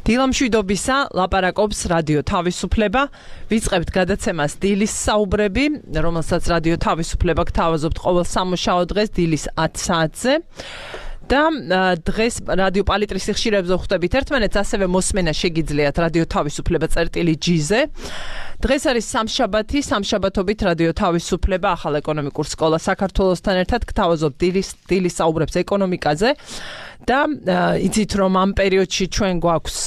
დილამშვიდობისა ლაპარაკობს რადიო თავისუფლება. ვიწყებთ გადაცემას დილის საუბრები, რომელსაც რადიო თავისუფლება გთავაზობთ ყოველ სამუშაო დღეს დილის 10 საათზე. და დღეს რადიო პალიტრის სიხშირეებზე ხვდებით ერთმანეთს, ასევე მოსმენა შეგიძლიათ რადიო თავისუფლება წერტილი-G-ზე. დღეს არის სამშაბათი, სამშაბათობით რადიო თავისუფლება ახალ ეკონომიკურ სკოლა საქართველოსთან ერთად გთავაზობთ დილის საუბრებს ეკონომიკაზე. და იცით რომ ამ პერიოდში ჩვენ გვაქვს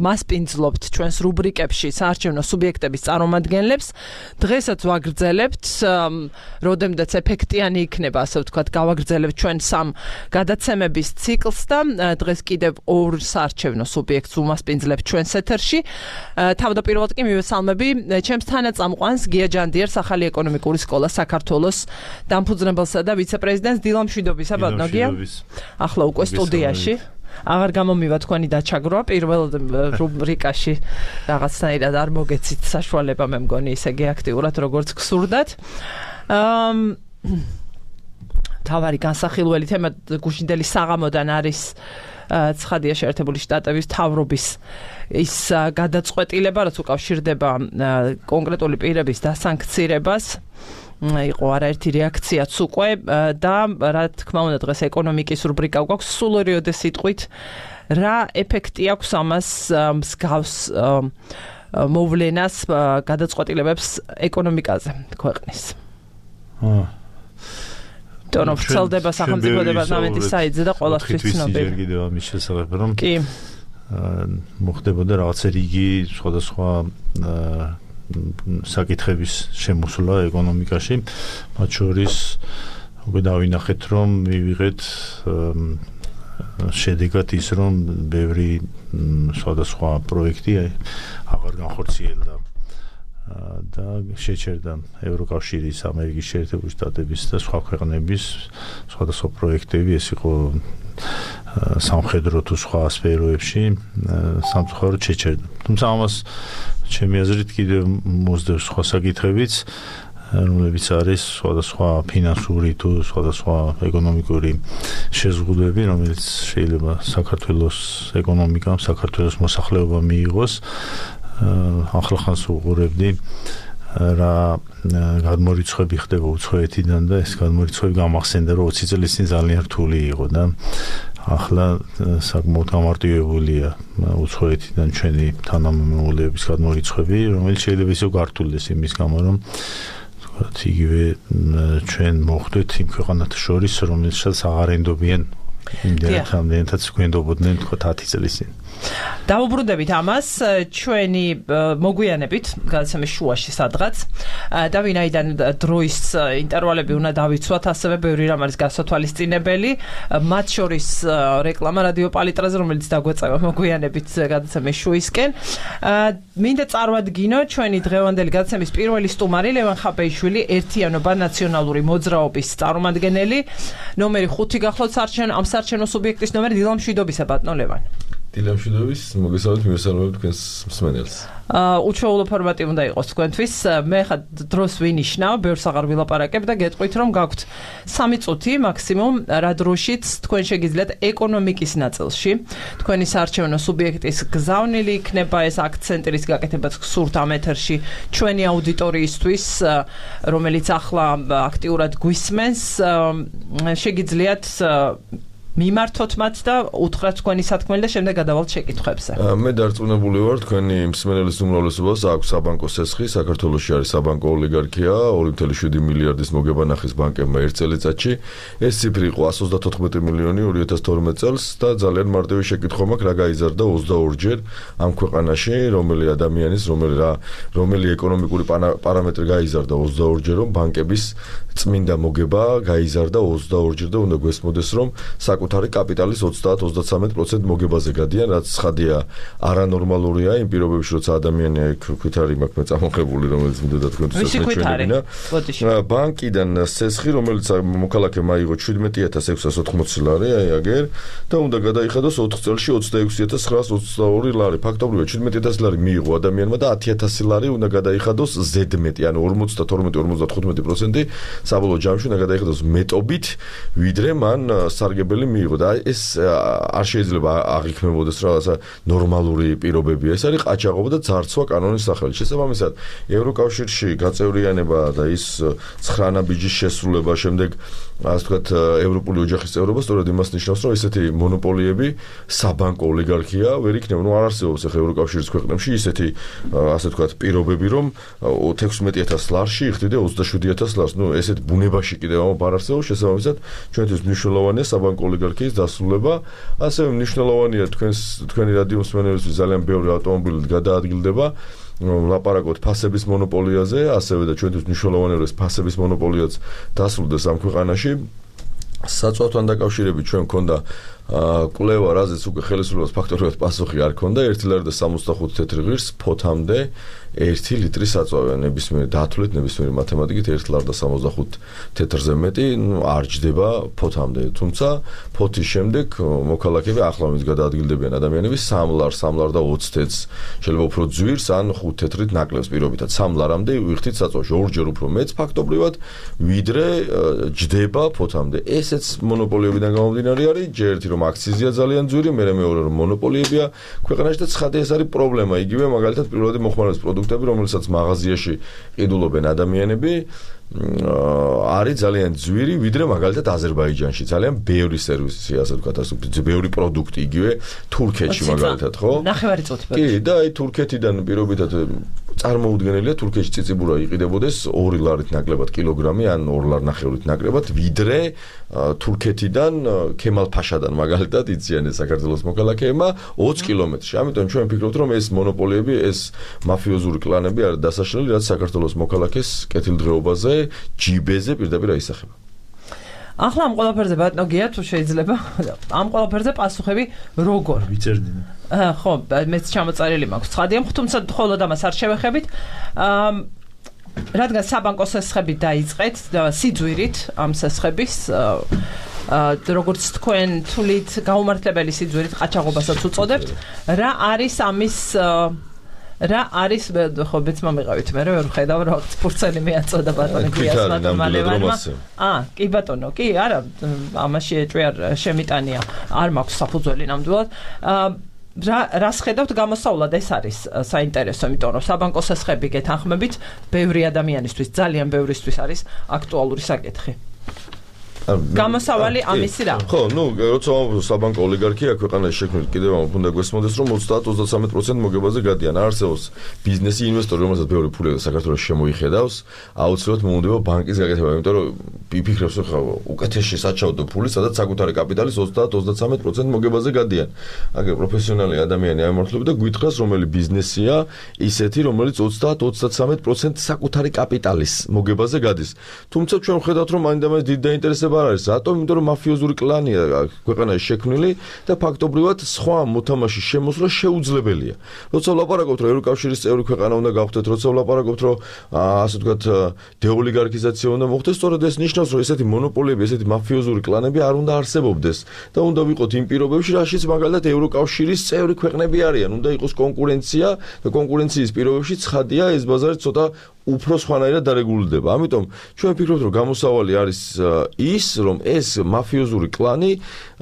მასპინძლობთ ჩვენს რუბრიკებში საარჩევნო სუბიექტების წარმომადგენლებს. დღესაც ვაგრძელებთ, როდემდეც ეფექტიანი იქნება, ასე ვთქვათ, გავაგრძელებთ ჩვენ სამ გადაცემების ციკლს და დღეს კიდევ ორ საარჩევნო სუბიექტს ვუმასპინძლებთ ჩვენს ეთერში. თავდაპირველად კი მივესალმები ჩემს თანაწამყვანს გია ჯანდიერს, ახალი ეკონომიკური სკოლა საქართველოს დამფუძნებელსა და ვიცე-პრეზიდენტს. დილამშვიდობისა, ბატონო გია. ახლა უკვე სტუდიაში. აღარ გამომივა თქვენი დაჩაგროვა პირველ რუბრიკაში რაღაცნაირად არ მოგეცით საშუალება, მე მგონი ისე აქტიურად როგორც გსურდათ. თავარი განსახილველი თემა გუშინდელი საღამოდან არის ცხადია შეერთებული შტატების მთავრობის ის გადაწყვეტილება, რაც უკავშირდება კონკრეტული პირების დასანქცირებას. იყო არაერთი რეაქციაც უკვე და რა თქმა უნდა დღეს ეკონომიკის რუბრიკა გვაქვს. სულ ორიოდე სიტყვით რა ეფექტი აქვს ამას მსგავს მოვლენას გადაწყვეტილებებს ეკონომიკაზე ქვეყნის. დონო ვრცელდება სახელმწიფო დეპარტამენტის საიტზე და ყველასთვის ცნობილი. ჯერ კიდევ ამის შესახებ რომ კი მოხდებოდა რაღაცა რიგი სხვადასხვა საკითხების შემოსვლა ეკონომიკაში, მათ შორის უკვე დავინახეთ რომ მივიღეთ შედეგად ის რომ ბევრი სხვადასხვა პროექტი აღარ განხორციელდა და შეჩერდა ევროკავშირის, ამერიკის შეერთებული შტატების და სხვა ქვეყნების სხვადასხვა პროექტები. ეს იყო სამხედრო თუ სხვა სფეროებში სამწუხაროდ შეჩერდა. თუმცა ამას ჩემი აზრით კიდევ მოსდევს სხვა საკითხებიც, რომლებიც არის სხვადასხვა ფინანსური თუ სხვადასხვა ეკონომიკური შეზღუდვები, რომელიც შეიძლება საქართველოს ეკონომიკამ, საქართველოს მოსახლეობამ მიიღოს. ახლახანს უყურებდი რა გადმორიცხვები ხდება უცხოეთიდან და ეს გადმორიცხვები გამახსენდა რომ 20 წლის წინ ძალიან რთული იყო და ახლა საკმაოდ გამარტივებულია უცხოეთიდან ჩვენი თანამემამულეების გადმორიცხვები, რომელიც შეიძლება ისევ გართულდეს იმის გამო რომ იგივე ჩვენ მოხვდეთ იმ ქვეყანათა შორის, რომელსაც აღარ ენდობიან იმდენად გვენდობოდნენ 10 წლის წინ. დავუბრუნდებით ამას ჩვენი მოგვიანებით გადაცემის შუაში სადღაც და ვინაიდან დროის ინტერვალები უნდა დავიცვათ, ასევე ბევრი რამ არის გასათვალისწინებელი, მათ შორის რეკლამა რადიო პალიტრაზე, რომელიც დაგვეწევა მოგვიანებით გადაცემის შუისკენ. მინდა წარვადგინო ჩვენი დღევანდელი გადაცემის პირველი სტუმარი ლევან ხაბეიშვილი, ერთიანობა ნაციონალური მოძრაობის წარმომადგენელი, ნომერი 5 გახლავთ ამ საარჩევნო სუბიექტის ნომერი. დილამშვიდობისა, ბატონო ლევან. დილამშვიდობის, მოგესალმებით, მივესალმებით თქვენს მსმენელს. უჩვეულო ფორმატი უნდა იყოს თქვენთვის. მე ხა დროს ვინიშნავ, ბევრს აღარ ვილაპარაკებ და გეტყვით რომ გაქვთ 3 წუთი მაქსიმუმ, რა დროშიც თქვენ შეგიძლიათ ეკონომიკის ნაწილში თქვენი საარჩევნო სუბიექტის გზავნილი იქნება ეს აქცენტი, რის გაკეთებაც გსურთ ამ ეთერში ჩვენი აუდიტორიისთვის, რომელიც ახლა აქტიურად გვისმენს, შეგიძლიათ მიმართოთ მათ და უთხრათ თქვენი სათქმელი და შემდეგ გადავალთ შეკითხვებზე. მე დარწმუნებული ვარ, თქვენი მსმენელის უმრავლესობას აქვს საბანკო სესხი, საქართველოში არის საბანკო ოლიგარქია, 2.7 მილიარდის მოგება ნახის ბანკებმა ერთ წელიწადში. ეს ციფრი იყო 134 მილიონი 2012 წელს და ძალიან მარტივი შეკითხვა მაქვს, რა გაიზარდა 22-ჯერ ამ ქვეყანაში, რომელი ადამიანის, რომელი ეკონომიკური პარამეტრი გაიზარდა 22-ჯერ, რომ ბანკების წმინდა მოგება გაიზარდა 22-ჯერ და უნდა გვესმოდეს, რომ საკუთარი კაპიტალის 30-33% მოგებაზე გადიან, რაც ცხადია არანორმალურია იმ პირობებში, როცა ადამიანი ქვითარი მაქვს მეწამოხებული, რომელიც მინდოდა თქვენთვის ჩვენებინა. ბანკიდან სესხი, რომელიც მოქალაქემ აიღო 17,680 ლარი, აგერ და უნდა გადაიხადოს 4 წელში 26,922 ლარი. ფაქტობრივად 17,000 ლარი მიიღო ადამიანმა და 10,000 ლარი უნდა გადაიხადოს ზედმეტი, ანუ 52-55% საბოლოო ჯამში უნდა გადაიხადოს მეტობით, ვიდრე მან სარგებელი მიიღო და ეს არ შეიძლება აღიქმებოდეს რაღაცა ნორმალური პირობებია. ეს არის ყაჩაღობა და ძარცვა კანონის სახელით. შესაბამისად, ევროკავშირში გაწევრიანება და ის 9 ბიჯის შესრულება შემდეგ ასე ვთქვათ ევროპული ოჯახის წევრობა სწორედ იმას ნიშნავს, რომ ესეთი მონოპოლიები საბანკო ოლიგარქია ვერ იქნება. ნუ არ არსებობს ახლა ევროკავშირის ქვეყნებში ისეთი ასე ვთქვათ პირობები, რომ 16000 ლარში იხდიდა 27000 ლარს. ნუ ესეთ ბუნებაში კიდევ არ არსებობს. შესაბამისად, ჩვენთვის მნიშვნელოვანია საბანკო ოლიგარქიის დასრულება. ასევე მნიშვნელოვანია თქვენი რადიო მსმენელებისთვის ძალიან ბევრი ავტომობილი გადაადგილდება. ლაპარაკობთ ფასების მონოპოლიაზე, ასევე და ჩვენთვის მნიშვნელოვანია რომ ეს ფასების მონოპოლიაც დასრულდეს ამ ქვეყანაში. საწვავთან დაკავშირებით ჩვენ მქონდა კვლევა, რაზეც უკვე ხელისუფლებას ფაქტობრივად პასუხი არ ქონდა. 1.65 თეთრი ღირს ფოთამდე 1 ლიტრი საწვავია. ნებისმიერ დათვლით, ნებისმიერ მათემატიკით 1.65 თეთრზე მეტი არ ჯდება ფოთამდე. თუმცა ფოთის შემდეგ მოქალაქეები ახლა მის გადაადგილდებიან ადამიანები 3 ლარს, 3 ლარ და 20 თეთრს. შეიძლება უფრო ძვირს ან 5 თეთრით ნაკლებს პირობითად 3 ლარამდე ვიხდით საწვავში. ორჯერ უფრო მეც ფაქტობრივად ვიდრე ჯდება ფოთამდე. ესეც მონოპოლიებიდან გამომდინარე არის. ჯერ ერთი რომ აქციზია ძალიან ძვირი, მეორე რომ მონოპოლიებია ქვეყანაში და ცხადია ეს არის პრობლემა. იგივე მაგალითად პირველადი მოხმარების პროდუქტები, რომელსაც მაღაზიაში ყიდულობენ ადამიანები, არის ძალიან ძვირი, ვიდრე მაგალითად აზერბაიჯანში. ძალიან ბევრი სერვისი, ასე ვთქვათ, ბევრი პროდუქტი იგივე თურქეთში მაგალითად, ხო? ნახევარი წუთი. კი, და აი თურქეთიდან პირობითად წარმოუდგენელია თურქეთში ციციბურა იყიდებოდეს 2 ლარით ნაკლებად კილოგრამი ან 2 ლარ ნახევრით ნაკლებად, ვიდრე თურქეთიდან ქემალ-ფაშადან მაგალითად იციან ეს საქართველოს მოქალაქეებმა 20 კილომეტრში. ამიტომ ჩვენ ვფიქრობთ, რომ ეს მონოპოლიები, ეს მაფიოზური კლანები არის დასაშლელი, რაც საქართველოს მოქალაქეს კეთილდღეობაზე, ჯიბეზე პირდაპირ აისახება. ახლა ამ ყველაფერზე ბატონო გია თუ შეიძლება ამ ყველაფერზე პასუხები როგორ ვიწერდინე. ხო, მეც ჩამოწერილი მაქვს. ცხადია, თუმცა მხოლოდ ამას არ შევეხებით. რადგან საბანკო სესხები დაიწყეთ სიძვირით ამ სესხების როგორც თქვენ თulit გაუმართლებელი სიძვირით ყაჩაღობასაც უწოდებთ, რა არის ამის რა არის ხო ბეცმა მიყავით მე ვერ ვხედავ რა ფურცელი მეაწოდა ბატონი გიას ბატონმა კი ბატონო კი არა ამაში ეჭვი არ შემიტანია არ მაქვს საფუძველი ნამდვილად რას ხედავთ გამოსავლად ეს არის საინტერესო იმიტომ რომ საბანკო სესხები გეთანხმებით ბევრი ადამიანისთვის ძალიან ბევრისთვის არის აქტუალური საკითხი გამოსავალი ამისი რა. ხო, ნუ როცა საბანკო ოლიგარქია ქვეყანაში შექმნილი კიდევ ამ უნდა გვესმოდეს რომ 30-33% მოგებაზე გადიან. არსებობს ბიზნესი ინვესტორი, რომელსაც ბევრი ფული საქართველოს შემოიხედავს, აუცილებლად მომუნდება ბანკის გაკეთება, იმიტომ რომ იფიქრებს ხა უკეთესი საჩაოდო ფული, სადაც საკუთარი კაპიტალის 30-33% მოგებაზე გადიან. აგერ პროფესიონალი ადამიანი ამართლებს და გვითხრას რომელი ბიზნესია ისეთი, რომელიც 30-33% საკუთარი კაპიტალის მოგებაზე გადის. თუმცა ჩვენ ვხედავთ რომ მაინდა-მაინც დიდ დაინტერესება არ არის. რატომ? იმიტომ რომ მაფიოზური კლანია ქვეყანაში შექმნილი და ფაქტობრივად სხვა მოთამაშის შემოსვლა შეუძლებელია. როცა ვლაპარაკობთ რომ ევროკავშირის წევრი ქვეყანა უნდა გავხდეთ, როცა ვლაპარაკობთ რომ ასე ვთქვათ დეოლიგარქიზაცია უნდა მოხდეს, სწორედ ეს ნიშნავს რომ ესეთი მონოპოლიები, ესეთი მაფიოზური კლანები არ უნდა არსებობდეს და უნდა ვიყოთ იმ პირობებში, რაშიც მაგალითად ევროკავშირის წევრი ქვეყნები არიან. უნდა იყოს კონკურენცია და კონკურენციის პირობებში ცხადია ეს ბაზარი ცოტა უფრო სხვანაირად დარეგულირდება. ამიტომ ჩვენ ვფიქრობთ, რომ გამოსავალი არის ის, რომ ეს მაფიოზური კლანი,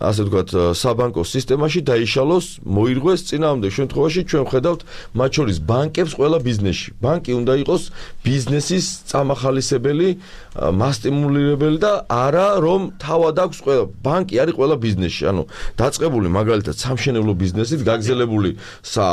ასე ვთქვათ, საბანკო სისტემაში დაიშალოს, მოირღვეს წინააღმდეგ შემთხვევაში ჩვენ ვხედავთ მათ შორის ბანკებს ყველა ბიზნესში. ბანკი უნდა იყოს ბიზნესის წამახალისებელი, მასტიმულირებელი და არა რომ თავად აქვს ყველა ბანკი არის ყველა ბიზნესში. ანუ დაწყებული მაგალითად სამშენებლო ბიზნესით, გაგზელებული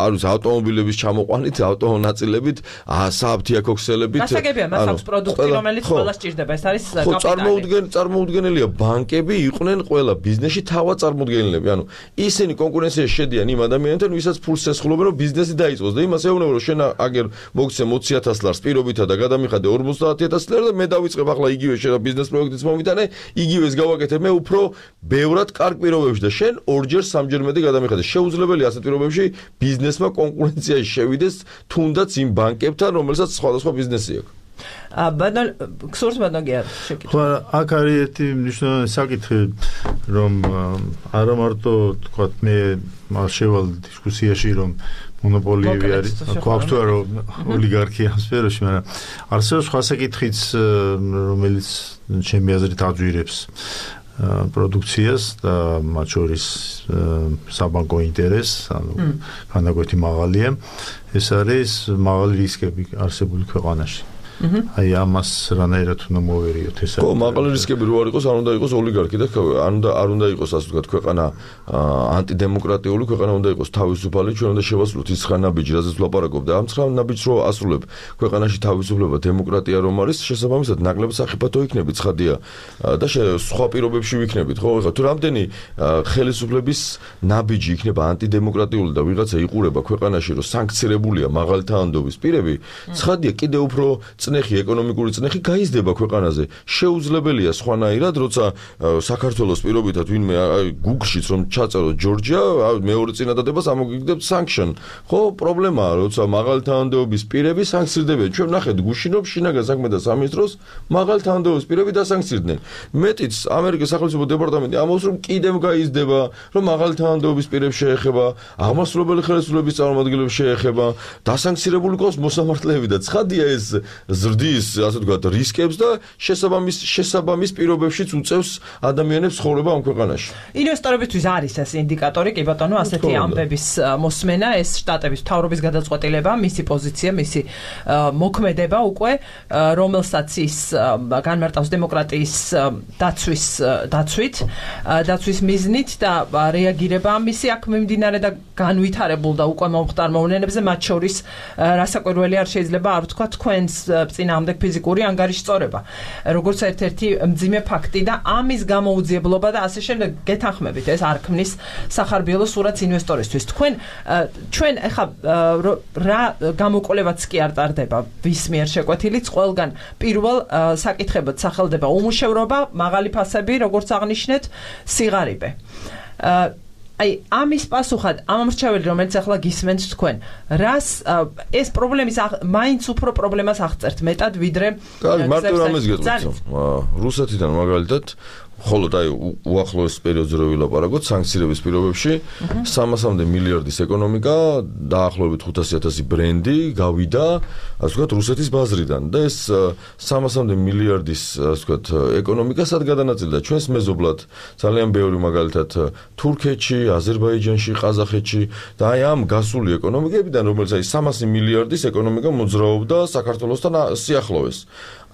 ავტომობილების ჩამოყვანით, ავტონაწილებით, საფთიაქოქს გასაგებია მას აქვს პროდუქტი რომელიც ყველა სჭირდება ეს არის კაპიტალი წარმოუდგენელია ბანკები იყვნენ ყველა ბიზნესში თავად წარმოუდგენელები ანუ ისინი კონკურენციაში შედიან იმ ადამიანებთან ვისაც ფულს ესხლობენ რომ ბიზნესი დაიწყოს და იმას ეუბნება რომ შენ აგერ მოგცე 20.000 ლარს პირობითა და გადამიხადე 50.000 ლარს და მე დავიწყებ ახლა იგივე შენ ბიზნეს პროექტიც მომიტანე იგივეს გავაკეთებ მე უფრო ბევრად კარგ პირობებში და შენ ორჯერ სამჯერ მეტი გადამიხადე შეუძლებელია ასეთ პირობებში ბიზნესმა კონკურენციაში შევიდეს თუნდაც იმ ბანკებთან რომელსაც სხვადასხვა ბიზნესი აქვს. ბატონ ქსურს ბატონ გია შეკითხვა. ხო, აქ არის ერთი მნიშვნელოვანი საკითხი, რომ არა მარტო თქვათ მე შევალ დისკუსიაში რომ მონოპოლიები არის, გვაქვს თუ არა ოლიგარქია სფეროში, მაგრამ არსებობს სხვა საკითხიც, რომელიც ჩემი აზრით აძვირებს პროდუქციას და მათ შორის საბანკო ინტერესს, ანუ განაკვეთი მაღალია. ეს არის მაღალი რისკები არსებული ქვეყანაში. აი ამას რანაირად უნდა მოვერიოთ ეს. ხო, მაღალი რისკები რო არ იყოს, არ უნდა იყოს ოლიგარქი და არ უნდა იყოს ასე ვთქვათ ქვეყანა ანტიდემოკრატიული ქვეყანა უნდა იყოს თავისუფალი, ჩვენ უნდა შევასრულოთ ის ხრა ნაბიჯი, რაზეც ვლაპარაკობ და ამ ხრა ნაბიჯს რო ასრულებ, ქვეყანაში თავისუფლება, დემოკრატია რომ არის, შესაბამისად ნაკლებ სახიფათო იქნებით, ცხადია და სხვა პირობებში ვიქნებით, ხო? ეხლა თუ რამდენი ხელისუფლების ნაბიჯი იქნება ანტიდემოკრატიული და ვიღაცა იყურება ქვეყანაში, რომ სანქცირებულია მაღალი თანადობის პირები, ცხადია კიდევ უფრო წნეხი, ეკონომიკური წნეხი გაიზრდება ქვეყანაზე. შეუძლებელია სხვანაირად, როცა საქართველოს პირობითად ვინმე Google-შიც რომ ჩაწეროთ ჯორჯია, მეორე წინადადებას ამოგიგდებთ sanction. ხო, პრობლემაა, როცა მაღალი თანადობის პირები სანქცირდებიან. ჩვენ ნახეთ გუშინო შინაგან საქმეთა სამინისტროს მაღალი თანადობის პირები დასანქცირდნენ. მეტიც ამერიკის სახელმწიფო დეპარტამენტი ამბობს, რომ კიდევ გაიზრდება, რომ მაღალი თანადობის პირებს შეეხება, აღმასრულებელი ხელისუფლების წარმომადგენლებს შეეხება, დასანქცირებული ყავს მოსამართლეები და ცხადია ეს ზრდის, ასე ვთქვათ, რისკებს და შესაბამის პირობებშიც უწევს ადამიანებს ცხოვრება ამ ქვეყანაში. ინვესტორებისთვის არის ეს ინდიკატორი, კი ბატონო, ასეთი ამბების მოსმენა, ეს შტატების მთავრობის გადაწყვეტილება, მისი პოზიცია, მისი მოქმედება უკვე, რომელსაც ის განმარტავს დემოკრატიის დაცვის მიზნით და რეაგირება ამისი აქ მიმდინარე და განვითარებულ და უკვე მომხდარ მოვლენებზე, მათ შორის რასაკვირველი არ შეიძლება არ ვთქვა თქვენს წინააღმდეგ ფიზიკური ანგარიშის სწორება, როგორც ერთ-ერთი მძიმე ფაქტი და ამის გამოუძიებლობა და ასე შემდეგ გეთანხმებით, ეს არ ქმნის სახარბიელო სურათს ინვესტორისთვის. ჩვენ ეხა რა გამოკვლევაც კი არ ტარდება ვის მიერ შეკვეთილიც, ყველგან პირველ საკითხებად სახელდება უმუშევრობა, მაღალი ფასები, როგორც აღნიშნეთ, სიღარიბე. აი ამის პასუხად ამ მრჩეველი რომელიც ახლა გისმენთ თქვენ რას ეს პრობლემის მაინც უფრო პრობლემას აღწერთ მეტად ვიდრე მარტო რამეს გეტყვით რუსეთიდან მაგალითად ხოლო აი უახლოეს პერიოდზე რო ვილაპარაკოთ სანქციების პირობებში 300-მდე მილიარდის ეკონომიკა დაახლოებით 500,000 ბრენდი გავიდა ასე ვთქვათ რუსეთის ბაზრიდან და ეს 300-მდე მილიარდის ასე ვთქვათ ეკონომიკა სად გადანაწილდა ჩვენს მეზობლად ძალიან ბევრი მაგალითად თურქეთში, აზერბაიჯანში, ყაზახეთში და აი ამ გასული ეკონომიკებიდან რომელიც აი 300 მილიარდის ეკონომიკა მოძრაობდა საქართველოსთან სიახლოვეს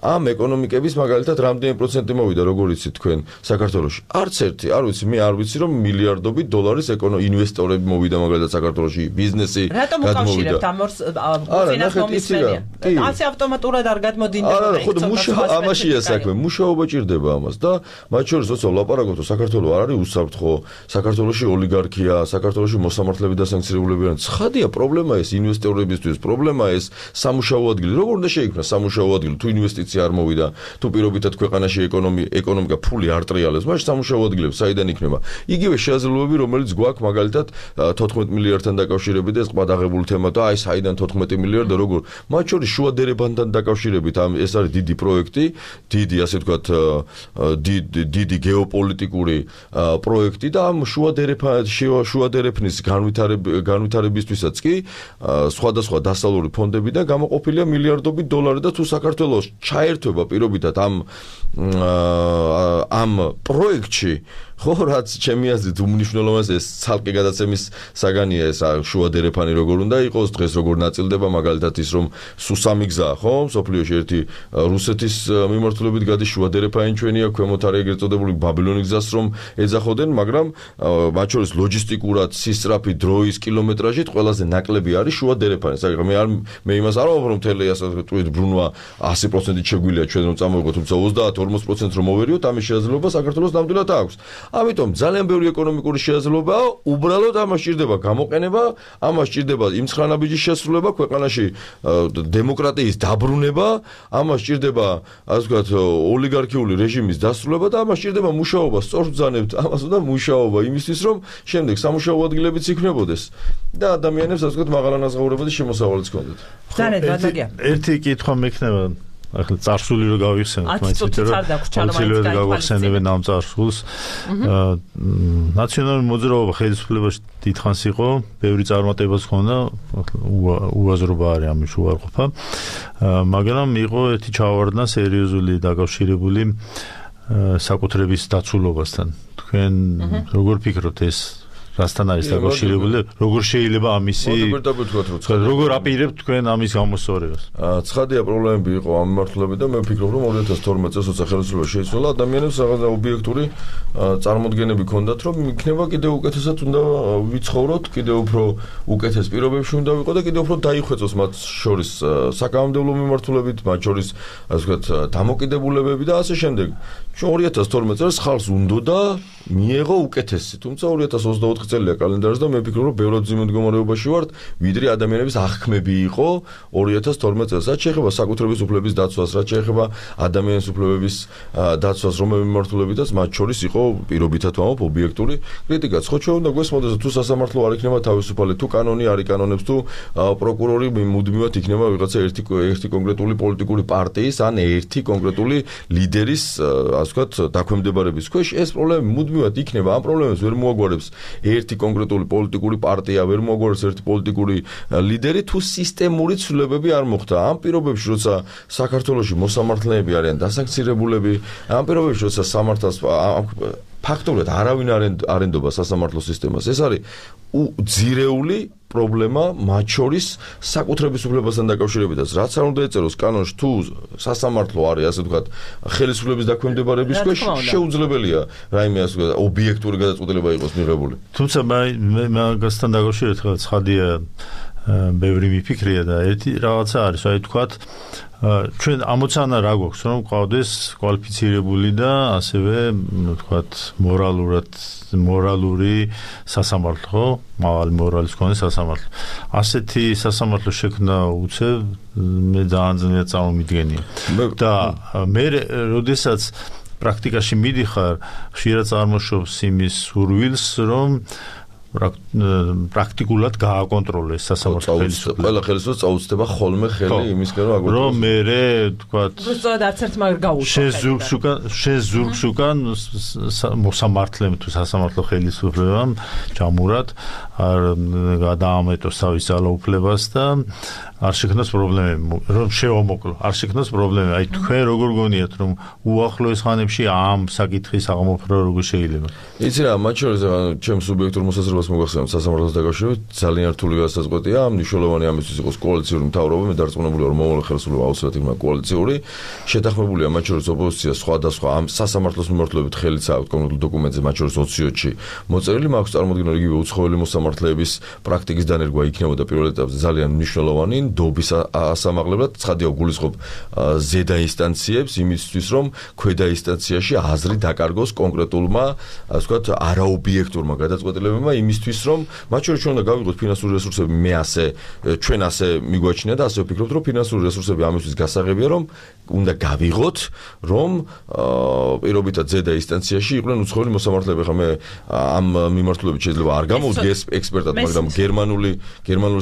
ამ ეკონომიკების მაგალითად რამდენი პროცენტი მოვიდა როგორ იცით თქვენ საქართველოში არც ერთი არ ვიცი მე არ ვიცი რომ მილიარდობით დოლარის ინვესტორები მოვიდა მაგალითად საქართველოში ბიზნესი გადმოვიდა ასე ავტომატურად არ გადმოდინდება არა ხო ამაშია საქმე მუშაობა ჭირდება ამას და მათ შორის როცა ვლაპარაკობთ საქართველო არ არის უსაფრთხო საქართველოში ოლიგარქია საქართველოში მოსამართლეები და სანქცირებულები არიან ცხადია პრობლემა ეს ინვესტორებისთვის პრობლემა ეს სამუშაო ადგილი როგორ უნდა შეიქმნა სამუშაო ადგილი თუ ინვესტიცია არ მოვიდა თუ პირობითად ქვეყანაში ეკონომიკა ფული არ ტრიალებს მაშინ სამუშაო ადგილები საიდან იქნება იგივე შეაძლებლობები რომელიც გვაქვს მაგალითად 14 მილიარდთან დაკავშირებით ეს ყბადაღებული თემა და აი საიდან 14 მილიარდი როგორ მათ შორის შუადერებთან დაკავშირებით ეს არის დიდი პროექტი დიდი ასე ვთქვათ დიდი გეოპოლიტიკური პროექტი და ამ შუადერეფნის განვითარებისთვისაც კი სხვადასხვა დასავლური ფონდებიდან გამოყოფილია მილიარდობით დოლარი და თუ საქართველოს ჩაერთვება პირობითად ამ პროექტში ხო რაც ჩემი აზრით უმნიშვნელოვანეს ეს ცალკე გადაცემის საგანია ეს შუადერეფანი როგორ უნდა იყოს დღეს როგორ ნაწილდება მაგალითად ის რომ სუსამი გზა ხო სოფლიოში ერთი რუსეთის მიმართულებით გადის შუადერეფანი ჩვენია ქვემოთ არის ეგრეთ წოდებული ბაბილონის გზას რომ ეძახოდნენ მაგრამ მათ შორის ლოჯისტიკურად სისწრაფი დროის კილომეტრაჟით ყველაზე ნაკლები არის შუადერეფანი მე იმას არ ვამბობ რომ მთელი ასე ვთქვით ბრუნვა 100%-ით შეგვიძლია ჩვენ რომ წამოვიღოთ თუმცა 30-40% რომ მოვერიოთ ამის შესაძლებლობა საქართველოს ნამდვილად აქვს ამიტომ ძალიან ბევრი ეკონომიკური შესაძლებლობაა უბრალოდ ამას ჭირდება გამოყენება ამას ჭირდება იმ ცხრანაბიჯის შესრულება ქვეყანაში დემოკრატიის დაბრუნება ამას ჭირდება ასე ვთქვათ ოლიგარქიული რეჟიმის დასრულება და ამას ჭირდება მუშაობა სწორ ბრძანებთ ამას უნდა მუშაობა იმისთვის რომ შემდეგ სამუშაო ადგილებიც იქნებოდეს და ადამიანებს ასე ვთქვათ მაღალანაზღაურებადი შემოსავალიც ჰქონდეთ ერთი კითხვა მექნება ახლა წარსული რო გავიხსენოთ მაინც გავიხსენებენ ამ წარსულს ნაციონალური მოძრაობა ხელისუფლებაში დიდხანს იყო ბევრი წარმატებაც ჰქონდა უაზრობა არის ამის უარყოფა მაგრამ იყო ერთი ჩავარდნა სერიოზული დაკავშირებული საკუთრების დაცულობასთან. თქვენ როგორ ფიქრობთ ეს რასთან არის დაკავშირებული? როგორ შეიძლება ამისი როგორ აპირებთ თქვენ ამის გამოსწორებას? ცხადია პრობლემები იყო ამ მიმართულებით და მე ვფიქრობ რომ 2012 წელს როცა ხელისუფლება შეიცვალა ადამიანებს რაღაც ობიექტური წარმოდგენები ჰქონდათ რომ იქნება კიდევ უკეთესად უნდა ვიცხოვროთ, კიდევ უფრო უკეთეს პირობებში უნდა ვიყო და კიდევ უფრო დაიხვეწოს მათ შორის საკანონმდებლო მიმართულებით, მათ შორის ასე ვთქვათ დამოკიდებულებები და ასე შემდეგ. 2012 წელს ხალხს უნდოდა მიეღო უკეთესი, თუმცა 2024 წელია კალენდარზე და მე ვფიქრობ რომ ბევრად ძიმე მდგომარეობაში ვართ, ვიდრე ადამიანების აღქმები იყო 2012 წელს. რაც შეეხება საკუთრების უფლების დაცვას, რაც შეეხება ადამიანის უფლებების დაცვას, რომელი მიმართულებითაც მათ შორის იყო პირობითად ვამბობ ობიექტური კრიტიკაც. ხო ჩვენ უნდა გვესმოდეს თუ სასამართლო არ იქნება თავისუფალი, თუ კანონი არ იკანონებს, თუ პროკურორი მუდმივად იქნება ვიღაცა ერთი კონკრეტული პოლიტიკური პარტიის ან ერთი კონკრეტული ლიდერის ასე ვთქვათ დაქვემდებარების ქვეშ, ეს პრობლემა მუდმივად იქნება. ამ პრობლემებს ვერ მოაგვარებს ერთი კონკრეტული პოლიტიკური პარტია, ვერ მოაგვარებს ერთი პოლიტიკური ლიდერი, თუ სისტემური ცვლილებები არ მოხდა. ამ პირობებში, როცა საქართველოში მოსამართლეები არიან დასანქცირებულები, ამ პირობებში, როცა სამართალს ფაქტობრივად არავინ არ ენდობა სასამართლო სისტემას, ეს არის ძირეული პრობლემა მათ შორის საკუთრების უფლებასთან დაკავშირებითაც. რაც არ უნდა ეწეროს კანონში, თუ სასამართლო არის ასე ვთქვათ ხელისუფლების დაქვემდებარების ქვეშ, შეუძლებელია რაიმე ასე ვთქვათ ობიექტური გადაწყვეტილება იყოს მიღებული. თუმცა მე მაგასთან დაკავშირებით ხალხ ცხადია ბევრი მიფიქრია და ერთი რაღაცა არის, აი ვთქვათ ჩვენ ამოცანა რა გვაქვს რომ ყავდეს კვალიფიცირებული და ასევე ვთქვათ მორალური სასამართლო, მაღალი მორალის მქონე სასამართლო. ასეთი სასამართლო შექმნა უცებ მე ძალიან ძნელად წარმომიდგენია. და მე როდესაც პრაქტიკაში მიდიხარ, ხშირად წარმოშობს იმის სურვილს, რომ პრაქტიკულად გააკონტროლოს სასამართლო ხელისუფლება. ყველა ხელისუფლებას წაუწდება ხოლმე ხელი იმისკენ რომ აგონტროლოს. რომ მე ვთქვათ, უბრალოდ არც ერთ მაგ გაუშვება. შენ ზურგს უკან მოსამართლემ თუ სასამართლო ხელისუფლებამ ჯამურად არ გადაამეტოს თავის ძალაუფლებას და არ შექმნას პრობლემები, რომ შევამოკლო, არ შექმნას პრობლემები. აი თქვენ როგორ გონიათ რომ უახლოეს ხანებში ამ საკითხის აღმოფხვრა როგორ შეიძლება? იცი რა, მათ შორის ჩემს სუბიექტურ მოსაზრებას მოგახსენებ სასამართლოს დაკავშირებით ძალიან რთული გასაზღვეტია. მნიშვნელოვანი ამისთვის იყოს კოალიციური მთავრობა, მე დარწმუნებულია რომ მომავალ ხელისუფლება აუცილებლად იქნება კოალიციური. შეთანხმებულია მათ შორის ოპოზიცია სხვადასხვა ამ სასამართლოს მიმართულებით ხელით საერთოდ კონკრეტულ დოკუმენტზე, მათ შორის 20-ში მოწერილი. მაქვს წარმოდგენა იგივე უცხოელი მოსამართლეების პრაქტიკის დანერგვა იქნებოდა პირველ ეტაპზე ძალიან მნიშვნელოვანი. დობის ასამაღლებლად ცხადია გულისხმობ ზედა ინსტანციებს იმისთვის რომ ქვედა ინსტანციაში აზრი დაკარგოს კონკრეტულმა ასე ვთქვათ არაობიექტურმა გადაწყვეტილებებმა იმისთვის რომ მათ შორის ჩვენ უნდა გავიღოთ ფინანსური რესურსები ჩვენ ასე მიგვაჩნია და ასე ვფიქრობთ რომ ფინანსური რესურსები ამისთვის გასაღებია რომ უნდა გავიღოთ რომ პირობითად ზედა ინსტანციაში იყვნენ უცხოელი მოსამართლეები. ხა მე ამ მიმართულებით შეიძლება არ გამოვიდეს ექსპერტად, მაგრამ გერმანული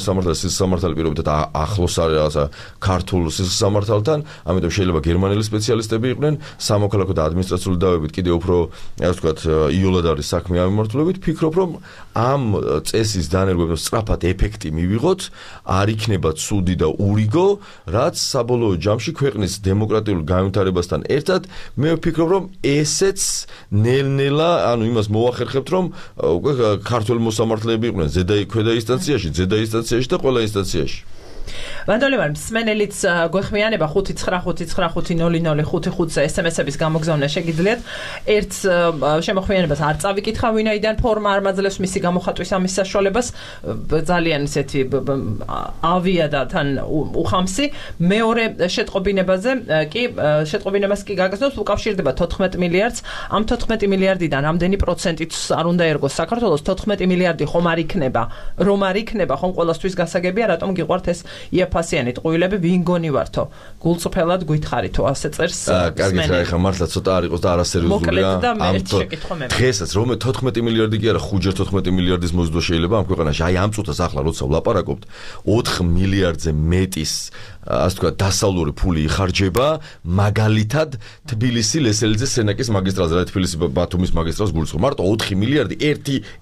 სამართალი პირობითად ახლოს არის რაღაცა ქართულ სამართალთან, ამიტომ შეიძლება გერმანელი სპეციალისტები იყვნენ, სამოქალაქო და ადმინისტრაციული დავებით კიდევ უფრო ასე ვთქვათ იოლად არის საქმე ამ მიმართულებით. ფიქრობ რომ ამ წესის დანერგვებს სწრაფად ეფექტი მივიღოთ, არ იქნება ცუდი და ურიგო, რაც საბოლოო ჯამში ქვეყნის დემოკრატიულ განვითარებასთან ერთად მე ვფიქრობ რომ ესეც ნელ-ნელა ანუ იმას მოახერხებთ რომ უკვე ქართული მოსამართლეები იყვნენ ზედა ქვედა ინსტანციაში და ყველა ინსტანციაში. ვანდოლევარ მსმენელიც გვეხმიანება 599500555-ზე SMS-ების გამოგზავნა შეგიძლიათ. ერთ შემოხვიანებას არ წავიკითხა ვინაიდან ფორმა არ მაძლევს მისი გამოხატვის ამის საშუალებას, ძალიან ისეთი ავია და თან უხამსი. მეორე შეტყობინებას კი გაგრძნობს, უკავშირდება 14 მილიარდს. ამ 14 მილიარდიდან რამდენი პროცენტით არ უნდა ერგოს საქართველოს? 14 მილიარდი ხომ არ იქნება, რომ არ იქნება, ხომ ყველასთვის გასაგებია, რატომ გიყვართ ეს იაფასიანი ტყუილები, ვინ გონი ვართო? გულწრფელად გითხარითო, ასე წერს. კარგით რა, ეხლა მართლა ცოტა არ იყოს და არასერიოზულია. დღესაც რომ 14 მილიარდი კი არა, 5-14 მილიარდის მოზიდვა შეიძლება ამ ქვეყანაში. აი ამ წუთას ახლა როცა ვლაპარაკობთ, 4 მილიარდზე მეტის ასე ვთქვათ დასავლური ფული იხარჯება მაგალითად თბილისი ლესელიძე სენაკის მაგისტრალზე, რა თბილისი ბათუმის მაგისტრალს გულისხმობ. მარტო 4 მილიარდი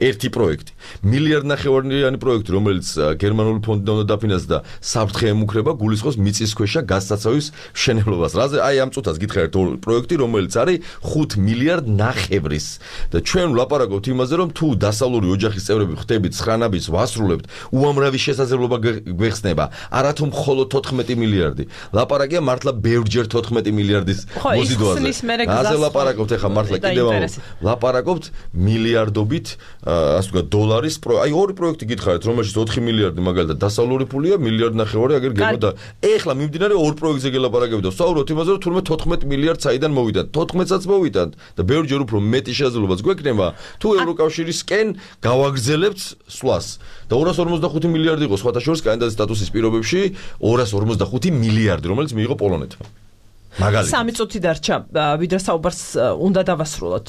ერთი პროექტი. მილიარდ ნახევარიანი პროექტი, რომელიც გერმანული ფონდიდან უნდა დაფინანსდა საფრთხე ემუქრება გულისხმობს მიწისქვეშა გასაცავის მშენებლობას. რაზე აი ამ წუთას გითხარით პროექტი, რომელიც არის 5 მილიარდ ნახევრის და ჩვენ ვლაპარაკობთ იმაზე, რომ თუ დასავლური ოჯახის წევრები ხდებით 9 ნაბიჯს ვასრულებთ, უამრავი შესაძლებლობა გვეხსნება. არათუ მხოლოდ 14 მილიარდი. ლაპარაკია მართლა ბევრჯერ 14 მილიარდის მოზიდვაზე. აზე ლაპარაკობთ ახლა მართლა კიდევ ლაპარაკობთ მილიარდობით ასე ვთქვათ დოლარის აი ორი პროექტი გითხარით, რომელშიც 4 მილიარდი მაგალითად დასავლური ფულია, მილიარდ ნახევარი აგერ გეგმოდა. ეხლა მიმდინარე ორ პროექტზე გელაპარაკებით და ვსაუბრობთ იმაზე, რომ თურმე 14 მილიარდს აიდან მოვიდათ. 14-საც მოვიდათ და ბევრჯერ უფრო მეტი შესაძლებლობაც გვექნება, თუ ევროკავშირისკენ გავაგრძელებთ სვლას. და 245 მილიარდი იყო სხვათა შორის კანდიდატის სტატუსის პირობებში 245 მილიარდი, რომელიც მიიღო პოლონეთმა. მაგალითად 3 წუთი დარჩა, ვიდრე საუბარს უნდა დავასრულოთ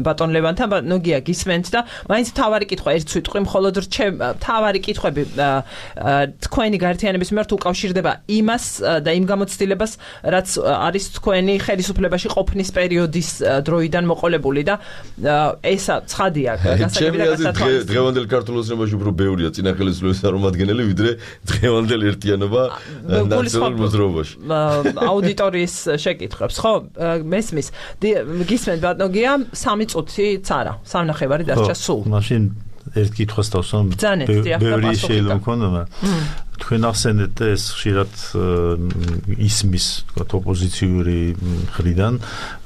ბატონ ლევანთან, ნოგია გისმენთ და მაინც თავარი კითხვა ერთ სიტყვი, მხოლოდ თავარი კითხვები თქვენი გაერთიანების მიმართ უკავშირდება იმას და იმ გამოცდილებას, რაც არის თქვენი ხელისუფლებაში ყოფნის პერიოდის დროიდან მოყოლებული და ესა ცხადია გასაგები და გასათვალისწინებელი. დღევანდელ ქართულ ოცნებაში უფრო ბევრია წინა ხელისუფლების წარმომადგენელი, ვიდრე დღევანდელ ერთიანობა ნაციონალურ მოძრაობაში. აუდიტორიის შეკითხვებს, ხო? მესმის. გისმენთ ბატონგია, 3 წუთიც არა, 3 ნახევარი დარჩა სულ. მაშინ ერთ კითხვას დავსვამ. ბევრი შეიძლება მქონდა. თქვენ ახსენეთ ეს ხშირად ისმის, თქვათ, ოპოზიციური მხრიდან,